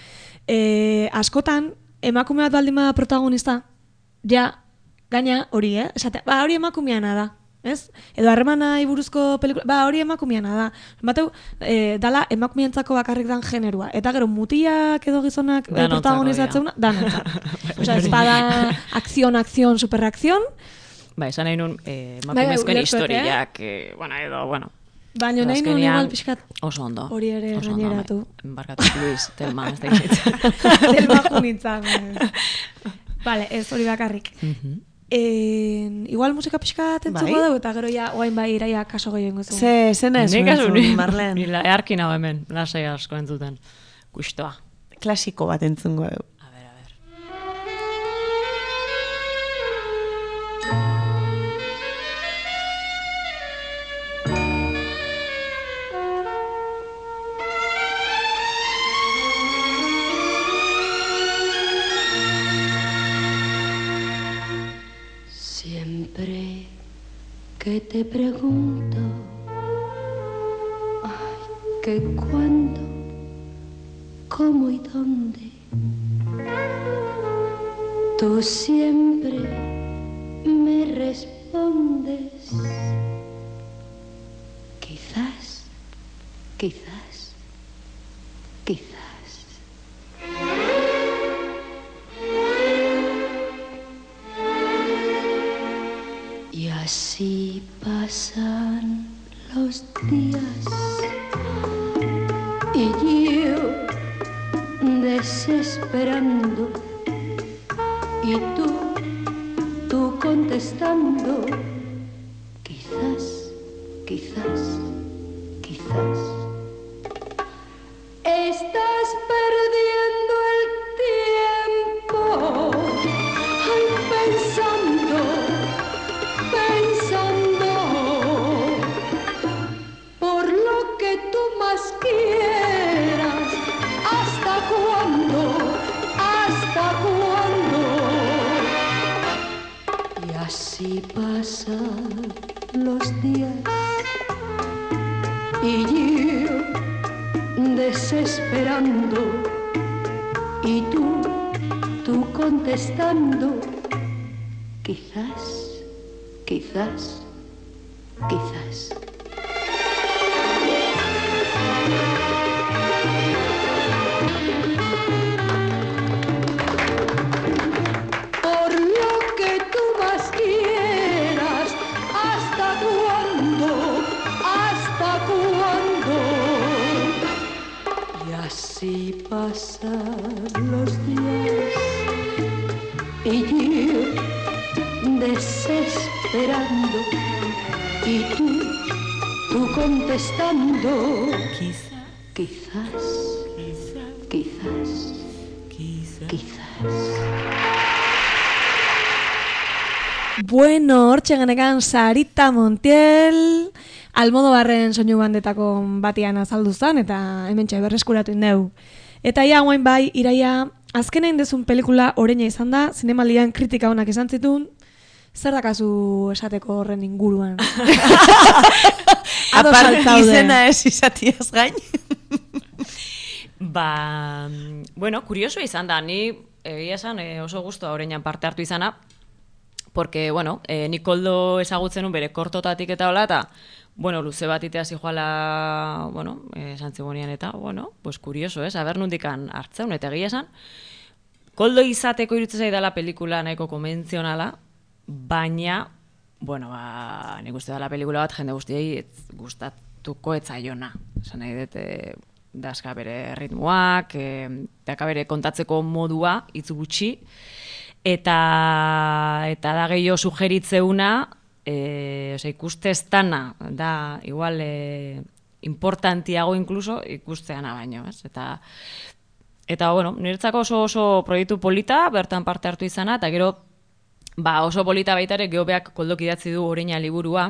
S1: E, askotan, emakume bat baldin bada protagonista, ja, gaina hori, eh? Esate, ba, hori emakumeana da. Ez? Edo harremanai buruzko pelikula, ba, hori emakumeana da. Bateu, e, dala emakumeentzako bakarrik dan generua. Eta gero mutiak edo gizonak e,
S4: Danontzako
S1: protagonizatzeunak, danontzak. Osea, ez bada akzion, akzion, superakzion,
S4: Ba, esan nahi nun, eh,
S1: Bai, bai,
S4: emakumezkoen
S1: ulertu dut, eh?
S4: historiak, eh, bueno, edo, bueno,
S1: baina nahi nun
S4: azkenean
S1: igual pixkat
S4: oso ondo.
S1: hori ere
S4: Oso ondo,
S1: gaineratu.
S4: bai. Barkatu, Luis, Telma, ez da gitzitzen.
S1: Del bajo nintzen. Vale, ez hori bakarrik. En, igual musika pixkat entzuko
S3: Bai.
S1: dugu, eta gero ja, oain bai iraia kaso gehiago ingo zuen.
S3: Ze, zena ez
S4: Nik asu ni,
S3: Marlen.
S4: ni la- earkin hau hemen, lasai asko entzuten. Kustoa.
S3: Klasiko bat entzungo dugu.
S4: A ber, a ber.
S5: Siempre que te pregunto, ay, que cuándo, cómo y dónde, tú siempre me respondes, quizás, quizás, quizás. Y así pasan los días y yo desesperando y tú, tú contestando, quizás, quizás, quizás. Estás perdiendo el tiempo, ay, pensando, pensando, por lo que tú más quieras, ¿hasta cuándo? ¿Hasta cuándo? Y así pasan los días y yo desesperando y tú, tú contestando, quizás, quizás, quizás. Por lo que tú más quieras, ¿hasta cuándo? ¿Hasta cuándo? Y así pasan los días y yo desesperando y tú, tú contestando, quizás, quizás, quizás, quizás.
S1: Bueno, hortxe genekan Sarita Montiel, Almodobarren soinu bandetako batian azaldu zen, eta hemen txai berreskuratu indeu. Eta ia guain bai, iraia, azkenein dezun pelikula oreina izan da, zinemaldian kritika honak izan zitun, zer dakazu esateko horren inguruan? Ados
S3: Aparte
S1: altzaude.
S3: izena ez izatiaz gain.
S4: Ba, bueno, kurioso izan da, ni egia esan eh, oso gustoa oreinan parte hartu izana, porque, bueno, eh, nik Koldo ezagutzen un bere kortotatik eta hola, eta, bueno, luze bat itea zijoala, bueno, eh, santzibonian eta, bueno, pues kurioso, ez, aber nundikan hartzeun, eta egia esan, Koldo izateko iruditzen zaidala pelikula nahiko konbentzionala, baina, bueno, ba, nik uste dela pelikula bat jende guztiei ez gustatuko etzaiona. Esan nahi dut, e, dazka bere ritmoak, e, daka bere kontatzeko modua, hitz gutxi, eta, eta da gehiago sugeritzeuna, e, osea, ikuste ez dana, da, igual, e, importantiago inkluso ikusteana baino, ez? Eta, eta bueno, niretzako oso oso proiektu polita, bertan parte hartu izana, eta gero, ba, oso polita baita ere, geho beak koldok idatzi du Oreina liburua,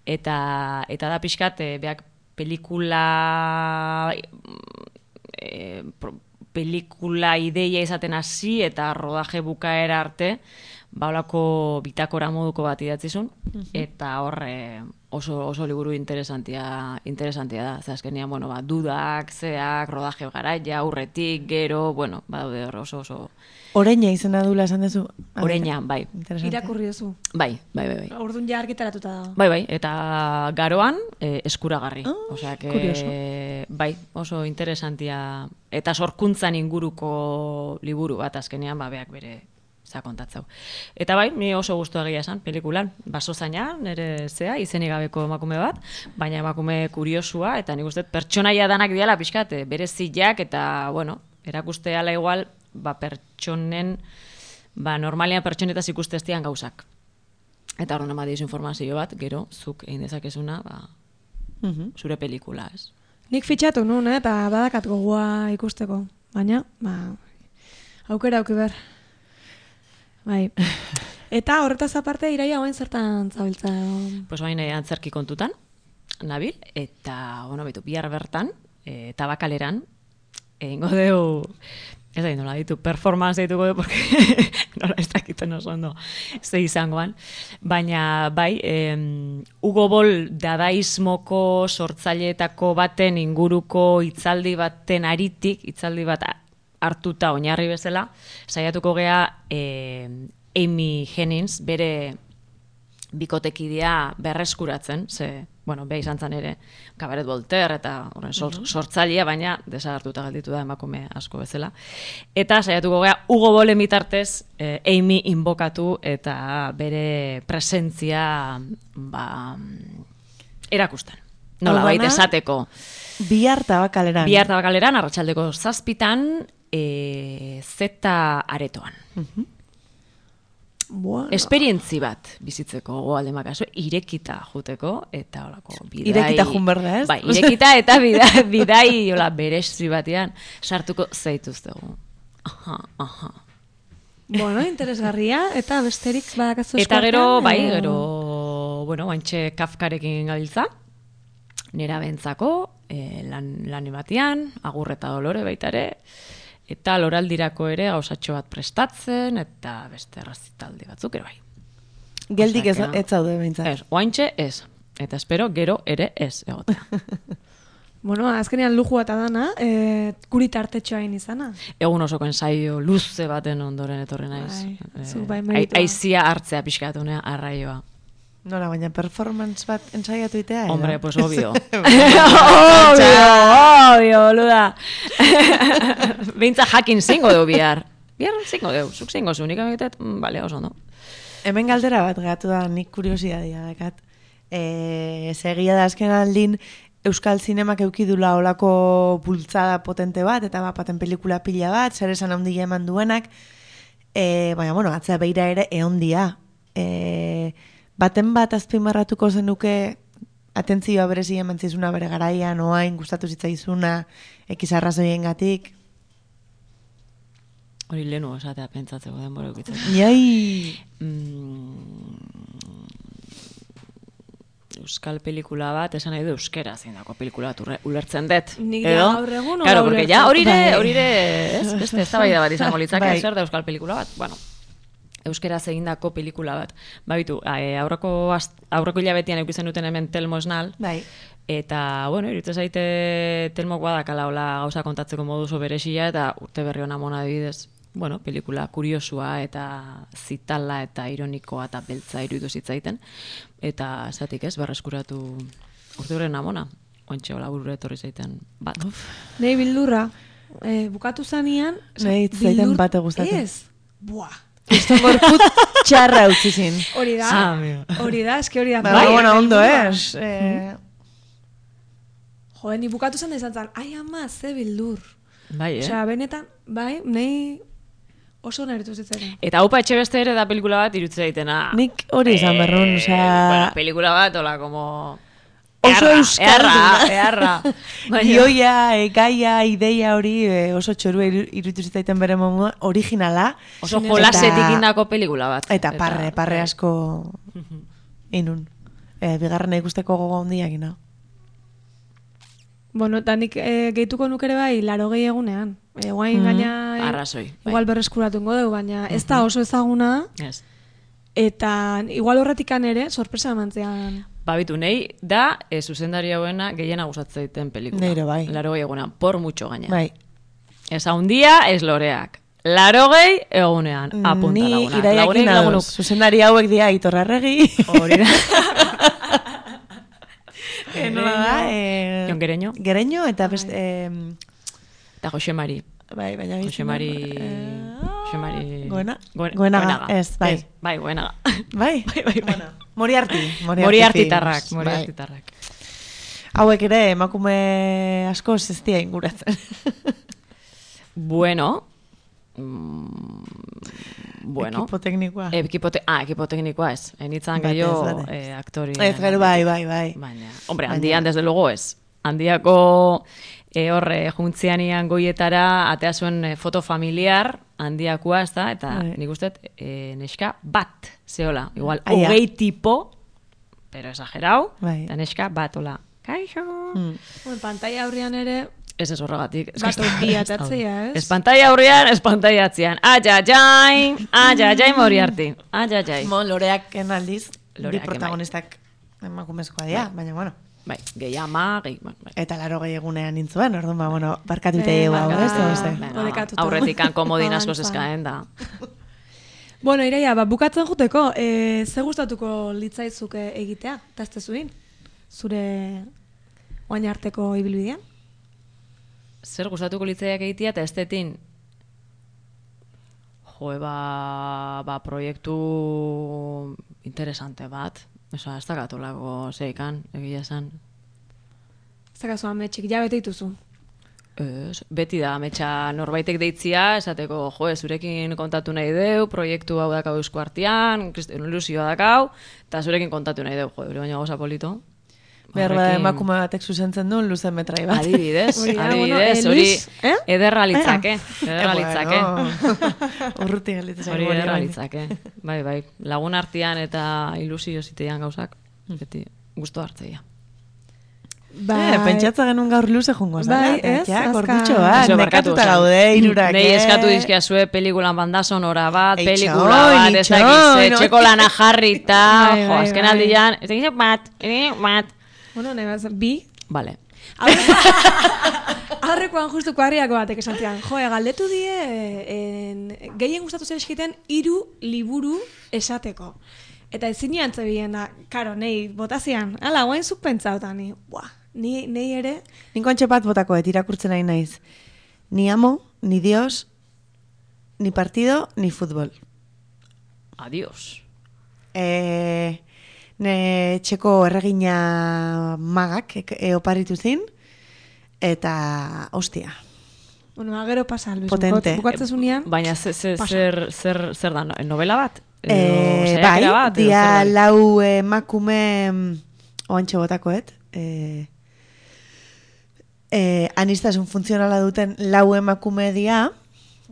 S4: eta, eta da pixkat, e, beak pelikula, e, pro, pelikula ideia izaten hasi eta rodaje bukaera arte, ba, holako bitakora moduko bat idatzizun, uh-huh. eta horre oso, oso liburu interesantia, interesantia da. Zer azkenean, bueno, ba, dudak, zeak, rodaje garaia, aurretik, gero, bueno, badaude hor oso oso...
S3: Oreina izena dula esan duzu?
S4: Oreina, bai.
S1: Irakurri duzu.
S4: Bai, bai, bai. bai.
S1: Orduan ja argitaratuta da.
S4: Bai, bai, eta garoan eh, eskuragarri.
S3: Oh,
S4: Osea, que,
S3: kurioso.
S4: bai, oso interesantia. Eta sorkuntzan inguruko liburu bat azkenean, ba, beak bere zakontatzau. Eta bai, ni oso gustu egia esan, pelikulan. Baso zaina, nire zea, izenik gabeko emakume bat, baina emakume kuriosua, eta nik uste pertsonaia danak diala pixkat, bere zilak, eta, bueno, erakuste ala igual, ba, pertsonen, ba, normalian pertsonetaz ikuste ez dian gauzak. Eta horren ama dizu informazio bat, gero, zuk egin dezakezuna, ba,
S3: Mhm.
S4: zure pelikula, ez?
S1: Nik fitxatu nun, eh, eta badakat gogoa ikusteko. Baina, ba, aukera auki ber. Bai. Eta horretaz aparte, Iraia oain zertan zabiltza?
S4: Pues bain antzerki kontutan, nabil, eta, bueno, betu, bihar bertan, e, tabakaleran, egingo deu, ez da, nola ditu, performance dituko du, porque nola ez dakiten oso ondo ze izangoan, baina, bai, em, Hugo Boll dadaismoko sortzaileetako baten inguruko hitzaldi baten aritik, hitzaldi bat hartuta oinarri bezala, saiatuko gea eh, Amy Hennings bere bikotekidea berreskuratzen, ze, bueno, beha izan zen ere Cabaret Voltaire eta horren sor, sortzailea, baina desagertuta gelditu da emakume asko bezala. Eta saiatuko gea Hugo Bollen bitartez eh, Amy inbokatu eta bere presentzia ba, erakusten. Nola baita esateko.
S3: Bihar tabakaleran.
S4: Bihar tabakaleran, arratsaldeko zazpitan, e, zeta aretoan.
S3: Mhm.
S1: Bueno.
S4: Esperientzi bat bizitzeko goalde makazu, irekita juteko, eta holako bidai...
S3: Irekita jun berda, ez?
S4: Bai, irekita eta bidai, bidai hola, berezi batean sartuko zaituztegu. Aha, aha.
S1: Bueno, interesgarria, eta besterik badakazu
S4: Eta gero,
S1: eskuartean,
S4: bai,
S1: edo-
S4: gero, bueno, baintxe Kafkarekin gabiltza, nera bentzako, e, lan, lan batian, Agur eta Dolore baita ere, eta loraldirako ere gauzatxo bat prestatzen, eta beste errazitaldi batzuk ere bai.
S3: Geldik ez,
S4: Osea que-
S3: ez zaude behintzat.
S4: Ez, oaintxe ez, eta espero gero ere ez egotea.
S1: Bueno, azkenean lujua eta dana, e, guri tartetxoain izana.
S4: Egun osoko ensaio luze baten ondoren etorri naiz.
S1: Bai, zu
S4: Eh,
S1: bai
S4: ai-
S1: meritua.
S4: Aizia hartzea pixkatu nea arraioa.
S3: Nola, baina performance bat ensaiatu itea, edo?
S4: Hombre, pues obvio. obvio, obvio, boluda. Beintza jakin zingo deu bihar. Bihar zingo deu, zuk zingo zu, nik ametet, mm, bale, oso ondo.
S3: Hemen galdera bat gatu da, nik kuriosidadea dakat. E, segia da azken aldin, Euskal Zinemak eukidula olako bultzada potente bat, eta bapaten pelikula pila bat, zer esan handia eman duenak, e, baina, bueno, atzea beira ere eondia. E, baten bat azpimarratuko zenuke atentzioa berezi eman zizuna bere garaian, oain gustatu zitzaizuna, ekizarrazoien gatik.
S4: Hori lehenu esatea pentsatzeko denbora eukitzen.
S3: Iai!
S4: Mm, Euskal pelikula bat, esan nahi du euskera zein dako pelikula bat urre- ulertzen dut.
S1: Nik
S4: Edo?
S1: gaur egun hola
S4: Claro, porque ja
S1: ulertzen.
S4: hori
S3: Bai.
S4: ere, hori ere, ez, beste eztabaida bat izango litzake,
S3: Bai.
S4: zer da euskal pelikula bat. Bueno, euskera egindako pelikula bat. Ba bitu, eh, aurreko ast- aurreko hilabetean edukitzen duten hemen Telmo Esnal,
S3: Bai.
S4: eta, bueno, iruditzen zaite Telmok badakala hola gauza kontatzeko modu oso berezia, eta urte berri hona mona adibidez, bueno, pelikula kuriosua eta zitala eta ironikoa eta beltza iruditu zitzaiten, eta zatik ez, berreskuratu urte horren amona, ointxe hola burura etorri zaiten bat.
S1: Nei bildurra, e, bukatu zanean... osea,
S3: Nei zaiten
S1: bildur-
S3: bate gustatzen.
S1: Ez, buah.
S3: Kriston gorput txarra utzi zin.
S1: Hori da,
S4: Ah, amigo.
S1: hori da, eski hori da.
S3: Ba,
S1: Bai,
S3: bueno, ondo,
S1: bildurra.
S3: ez? Eh,
S1: Jo, ni bukatu zen izan zen, ai ama, ze bildur.
S4: Bai, eh?
S1: Osea, benetan, bai, nei Oso nertu zitzen.
S4: Eta Aupa Etxebeste ere da pelikula bat irutzea ditena.
S3: Nik hori izan berrun, osea...
S4: Bueno, pelikula bat, hola, como...
S3: Oso euskalduna.
S4: Earra, earra.
S3: Gioia, e, gaia, ideia hori e, oso txorua irutu zitaiten bere momu, originala.
S4: Oso jolasetik indako pelikula bat.
S3: Eta parre, parre asko inun. E, bigarrena ikusteko gogo handiak ina.
S1: Bueno, eta nik e, gehituko nukere bai, laro gehi egunean. E, guain
S3: Mm.
S1: gaina...
S4: Arrazoi.
S1: Igual berreskuratungo dugu, baina ez da oso ezaguna.
S4: Ez.
S1: Eta igual horretikan ere, sorpresa emantzean.
S4: Babitu, nahi da e, zuzendari hauena gehiena gustatzen zaiten pelikula.
S3: Neiro, bai.
S4: Larogei egunean, por mucho gaina.
S3: Bai.
S4: Ez haundia, ez loreak. Larogei egunean, apunta
S3: Ni
S4: lagunak.
S3: iraiakin
S4: Lagunek,
S3: ados.
S4: lagunuk.
S3: Zuzendari hauek dia Itorrarregi.
S4: Hori da.
S3: E, nola da? E,
S4: Jon Gereño.
S3: Gereño eta beste... E,
S4: Eta Jose Mari.
S3: bai, baina...
S4: Jose Mari... Jose Mari...
S3: Goena?
S4: Goen-
S3: Goenaga, ez, bai.
S4: Ez, bai, Goenaga.
S3: Bai?
S4: Bai, bai, bai.
S3: Moriarty.
S4: Moriartitarrak,
S3: films,
S4: Moriartitarrak.
S3: Bai. Hauek ere emakume asko zestia inguratzen.
S4: Bueno... Mm, bueno...
S3: Ekipo teknikoa.
S4: Ekipo te- ah, ekipo teknikoa ez. Enitzan
S3: Batez,
S4: gehiago
S3: batez.
S4: eh, aktori.
S3: Ez gero bai, bai, bai.
S4: Baina, hombre,
S3: Baina-
S4: handian desde luego ez. Handiako e, horre juntzianian goietara atea zuen e, foto familiar handiakoa, ez da? Eta
S3: Bai.
S4: nik uste e, neska bat, zehola. Igual,
S3: Aia.
S4: hogei tipo, pero exagerau,
S3: Bai.
S4: eta neska bat, hola. Kaixo!
S3: Mm.
S1: Bueno, pantalla aurrian ere,
S4: Ez ez horregatik. Ez
S1: bat
S4: que-
S1: opi atatzea, ez?
S4: Ez pantalla aurrean, ez pantalla atzean. Ajajai, ajajai Moriarty. Ajajai.
S3: Mo, loreak aldiz,
S4: Loreak
S3: bi protagonistak emakumezkoa dira, baina bueno.
S4: Bai, gehi ama, gehi... Bai.
S3: Eta laro gehi egunean nintzuen, orduan, ba, bueno, barkatute
S1: Eh,
S3: hau,
S1: barkatu.
S3: ez da, beste.
S1: Venga. Odekatuta.
S4: Aurretikan komodin asko
S1: Avanza.
S4: zeskaen da.
S1: Bueno, Iraia, ba, bukatzen juteko, e, ze gustatuko litzaizuke egitea, eta ez tezuin? Zure oain arteko ibilbidean?
S4: Zer gustatuko litzaiak egitea eta estetin? Jo, ba, ba, proiektu interesante bat. Osa, ez dakatolako zeikan, egia esan.
S1: Zakazu ametxik, ja bete dituzu.
S4: Ez, beti da, ametsa norbaitek deitzia, esateko, jo, zurekin kontatu nahi deu, proiektu hau dakau Eusko Artean, kriston ilusioa dakau, eta zurekin kontatu nahi deu, jo, hori baina goza polito.
S3: Behar bada
S4: Horrekin-
S3: emakume batek zuzentzen duen luzen metrai bat.
S4: Adibidez,
S1: Hori da, bueno,
S4: adibidez,
S1: eh,
S4: hori
S1: Luis, eh?
S4: ederra litzake, ederra
S3: Eh,
S4: litzake.
S3: bueno. Urruti galitzen
S4: Hori
S3: zaigu
S4: ederra
S3: hori.
S4: litzake. Bai, bai, lagun artean eta ilusio ziteian gauzak, beti gustu hartzeia.
S1: Bai,
S3: Eh, pentsatza genuen gaur luze jungo zara.
S1: Bai, ez,
S3: Ja,
S1: azka-
S3: gorditxo bat,
S4: Eso, barkatu,
S3: nekatuta
S4: osan.
S3: gaude, irurak,
S4: Nei
S3: eh?
S4: eskatu dizkia zue pelikulan banda sonora bat,
S3: Eitxoin,
S4: pelikula bat, ez dakiz,
S3: itxoin,
S4: etxeko lana jarrita,
S1: Bai,
S4: jo,
S1: bai,
S4: azken
S1: bai.
S4: aldian, ez dakiz bat, ere bat.
S1: Bueno, nahi bat, bi.
S4: Vale.
S1: Aurrekoan justu kuarriako batek esan zian, jo, galdetu die, en, gehien gustatu zer eskiten hiru liburu esateko. Eta ezin jantzebien da, karo, nei, botazian, ala, guain zuk pentsauta, ni, buah, ni, nei ere,
S3: Ninko antxe bat botako, et irakurtzen nahi naiz. Ni amo, ni dios, ni partido, ni futbol.
S4: Adiós.
S3: E, ne txeko erregina magak e, e, oparitu zin, eta hostia.
S1: bueno, agero pasa, Luis,
S3: Potente.
S1: bukatzen zunean,
S4: Baina ze- ze-
S1: Pasa.
S4: zer, zer, zer da, no- novela bat? Edo
S3: E,
S4: saiakera
S3: bai,
S4: bat, edo
S3: dia
S4: zer da?
S3: lau emakume mm, oantxe botakoet, e, e, anistasun funtzionala duten lau emakume dia,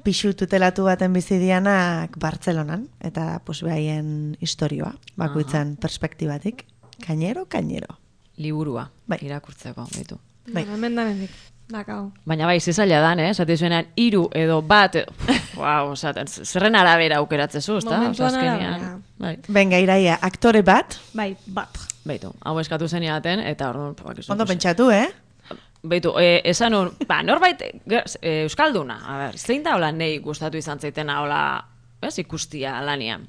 S3: pixu tutelatu baten bizi dianak Bartzelonan, eta pues, behaien historioa, bakoitzan perspektibatik. Kainero, kainero.
S4: Liburua,
S3: Bai.
S4: irakurtzeko, baitu.
S3: Bai.
S1: bueno, hemen da mendik, dakau.
S4: Baina bai, zizaila dan, eh? Zati zuenean, hiru edo bat, edo, wow, osaten, zerren arabera aukeratzezu, ezta?
S1: Momentuan
S4: Osea, azkenean,
S1: arabera.
S4: Bai,
S3: Benga, iraia, aktore bat,
S1: Bai, bat.
S4: baitu, hau eskatu zeniaten, eta orduan, bakizu.
S3: ondo pentsatu, eh?
S4: Beitu, e, esan un, ba, norbait, ger- e, Euskalduna, a ber, zein da hola nei gustatu izan zaitena hola, ez, ikustia lanian.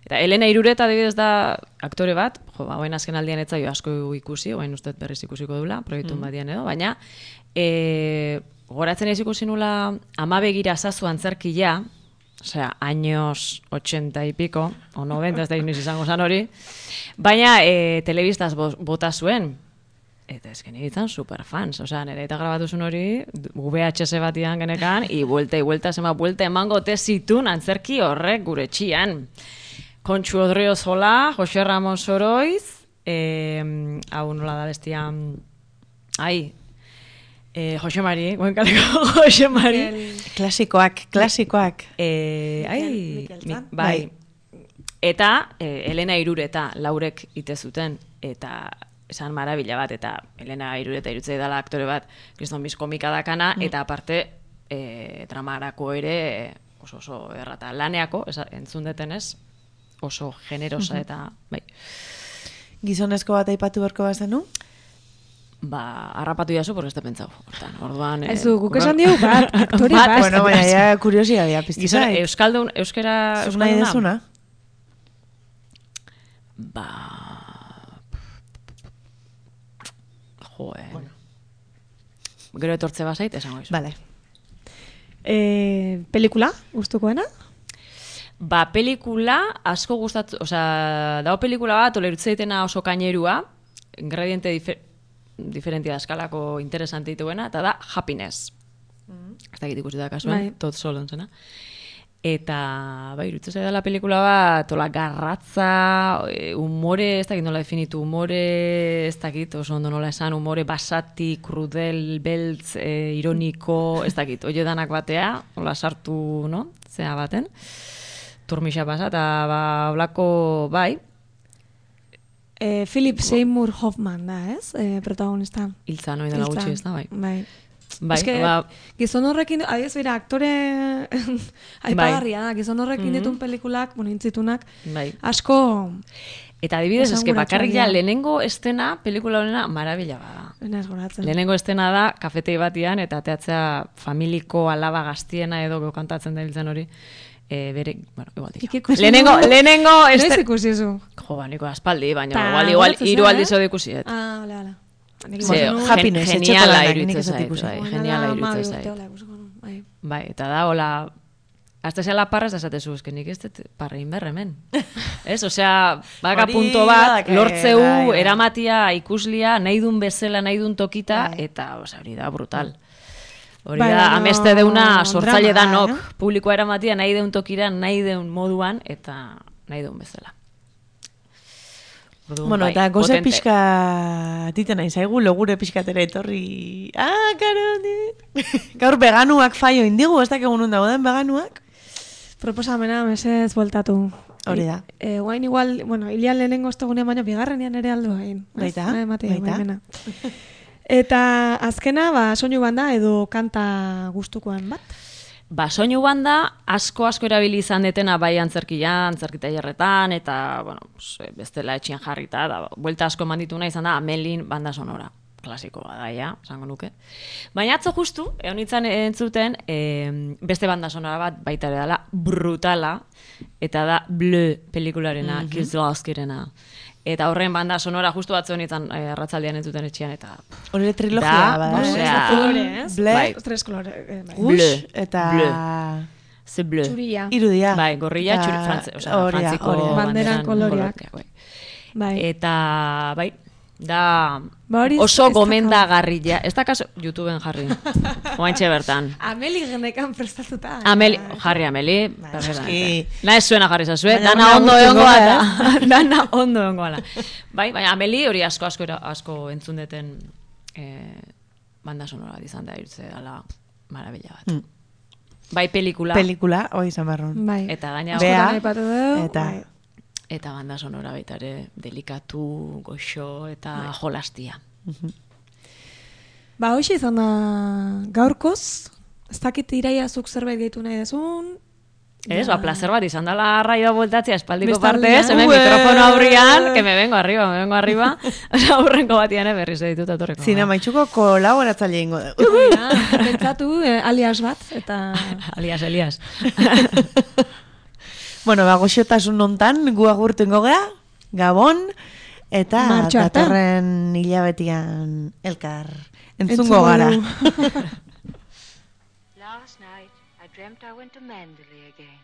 S4: Eta Elena Irureta adibidez da aktore bat, jo, ba, oain azken aldian etzaio asko ikusi, oain uste berriz ikusiko dula, proiektun badian edo, baina, e, goratzen ez ikusi nula, ama begira zazu antzerkia, osea, años ochenta y pico, o noventa, ez da inoiz izango zan hori, baina e, telebistaz bo- bota zuen, eta ez geni ditzen superfans, osea, nire eta grabatuzun hori, V H S batian genekan, i buelta, i buelta, zema buelta emango tezitun antzerki horrek gure txian. Kontxu Odriozola, Jose Ramos Oroiz, eh, hau nola da bestia, ai, eh, Jose Mari, goenkaleko Jose Mari.
S3: Klasikoak, klasikoak.
S4: Eh, ai, mi, bai. Eta eh, Elena Irureta laurek ite zuten, eta esan marabila bat, eta Elena Irureta irutzei dela aktore bat, kriston biz komika dakana, mm. eta aparte e, dramarako ere oso oso errata. Laneako, esa, entzun detenez, oso generosa eta, bai.
S3: Gizonezko bat aipatu berko bazenu?
S4: Ba, harrapatu jazu, porque ez te pentsau. Hortan, orduan...
S1: Ez du, guk esan digu bat, aktori bat.
S3: Bueno, baina, ja, kuriosidadea piztu
S4: Gizon,
S3: zait.
S4: euskaldun, euskera...
S3: Zuk nahi dezuna?
S4: Ba... Jo, eh. Bueno. Gero etortze bazait, esango izu.
S3: Vale.
S1: Eh, pelikula, gustukoena?
S4: Ba, pelikula asko gustatu, osea, dago pelikula bat, olerutze ditena oso kainerua, ingrediente difer, diferentia eskalako interesante dituena, eta da Happiness. Mm. Ez dakit ikusi da kasuen, bai. Tot Solon zena. Eta, bai, irutze zaidala pelikula bat, ola garratza, humore, ez dakit nola definitu, humore, ez dakit, oso ondo nola esan, humore basati, krudel, beltz, e, ironiko, ez dakit, oie danak batea, ola sartu, no, zea baten, turmixa pasa, eta, ba, olako, bai.
S1: E, Philip Seymour Hoffman da, ez? E, protagonista.
S4: Hiltza, noi dela gutxi, ez da, bai.
S1: Bai.
S4: Bai,
S1: Eske,
S4: ba...
S1: gizon horrekin, adiez bera, aktore aipagarria da, gizon horrekin mm-hmm. ditun pelikulak, bueno, intzitunak,
S4: bai.
S1: asko...
S4: Eta adibidez, eske bakarrik ja, lehenengo estena, pelikula honena, marabila bada. Lehenengo estena da, kafetei batian, eta teatzea familiko alaba gaztiena edo kantatzen da biltzen hori, e, bere, bueno, igual dira. Lehenengo, lehenengo...
S1: Noiz ikusi zu?
S4: Jo, ba, niko aspaldi, baina igual, igual, hiru aldiz ode ikusiet.
S1: Ah, ole, ole.
S3: Happiness,
S4: geniala iruditzen zait, geniala iruditzen zait. Bai, eta da, hola, hasta zela parra ez da esatezu, eske nik ez dut parrein berremen. Ez, osea, baka punto bat, lortzeu, eramatia, ikuslia, nahi dun bezala, nahi dun tokita, eta, osea, hori da, brutal. Hori da, ameste deuna, sortzaile da nok, publikoa eramatia, nahi deun tokira, nahi deun moduan, eta nahi deun bezala. Orduan,
S3: bueno,
S4: bai,
S3: eta goze
S4: potente.
S3: pixka titen nahi zaigu, logure pixkatera etorri... Ah, karo, gaur veganuak faio indigu, ez dakegun nun dagoen veganuak?
S1: Proposamena, mesez bueltatu.
S3: Hori da.
S1: E, guain igual, bueno, ilian lehenengo ostegunean baino, bigarrenean ere aldu hain.
S3: Baita,
S1: baita. Eta azkena, ba, soinu banda edo kanta gustukoan bat?
S4: Ba, soinu banda asko asko erabili izan detena bai antzerkian, antzerkita jarretan, eta, bueno, bestela etxian jarrita, da, buelta asko eman dituna izan da Amelin banda sonora. Klasikoa da, ja, esango nuke. Baina atzo justu, egon nintzen entzuten, e, beste banda sonora bat baita ere dela, brutala, eta da Bleu pelikularena, mm-hmm. Kieslowskirena. Eta horren banda sonora justu batzu nintzen e, arratzaldean entzuten etxean, eta...
S3: Hori trilogia,
S4: da,
S3: bada.
S4: Osea,
S3: Bleu,
S1: tres kolore.
S3: Rouge, eta...
S4: Ze bleu.
S1: Txuria.
S3: Irudia.
S4: Bai, gorria, txuri, frantze, osea, frantziko
S1: banderan koloriak.
S4: Bai. Eta, bai, da
S1: ba,
S4: oso gomendagarria. Ez da kaso, YouTubeen jarri. Oaintxe bertan.
S1: Ameli genekan prestatuta.
S4: Ameli, jarri Ameli. Na ez zuena jarri zazue.
S3: Baina
S4: dana ondo
S3: gutxi
S4: egongo
S3: goa,
S4: ala. Dana ondo egongo ala. Bai, baina Ameli hori asko asko asko entzun deten eh, banda sonora izan da irtze dela marabila bat. Mm. Bai, pelikula.
S3: Pelikula, hoi izan barron.
S1: Bai.
S4: Eta gaina
S3: Bea,
S1: eta...
S3: Bai.
S4: Eta banda sonora baita ere delikatu, goxo eta bai. Jolastia.
S3: Uh-huh.
S1: Ba, hoxe izan da gaurkoz, ez dakit iraia zuk zerbait gehitu nahi dezun.
S4: Ez, ba, placer bat izan dela raioa bueltatzea espaldiko partez, hemen mikrofono aurrian, que me vengo arriba, me vengo arriba. Osa, aurrenko batian berriz editut atorreko.
S3: Zina maitxuko kolaboratzaile ingo da.
S1: Pentsatu, eh, alias bat, eta...
S4: alias, alias.
S3: Bueno, ba, goxotasun nontan, gu agurtengo gea, Gabon, eta datorren hilabetian elkar entzungo gara.
S6: Last night, I dreamt I went to Mandalay again.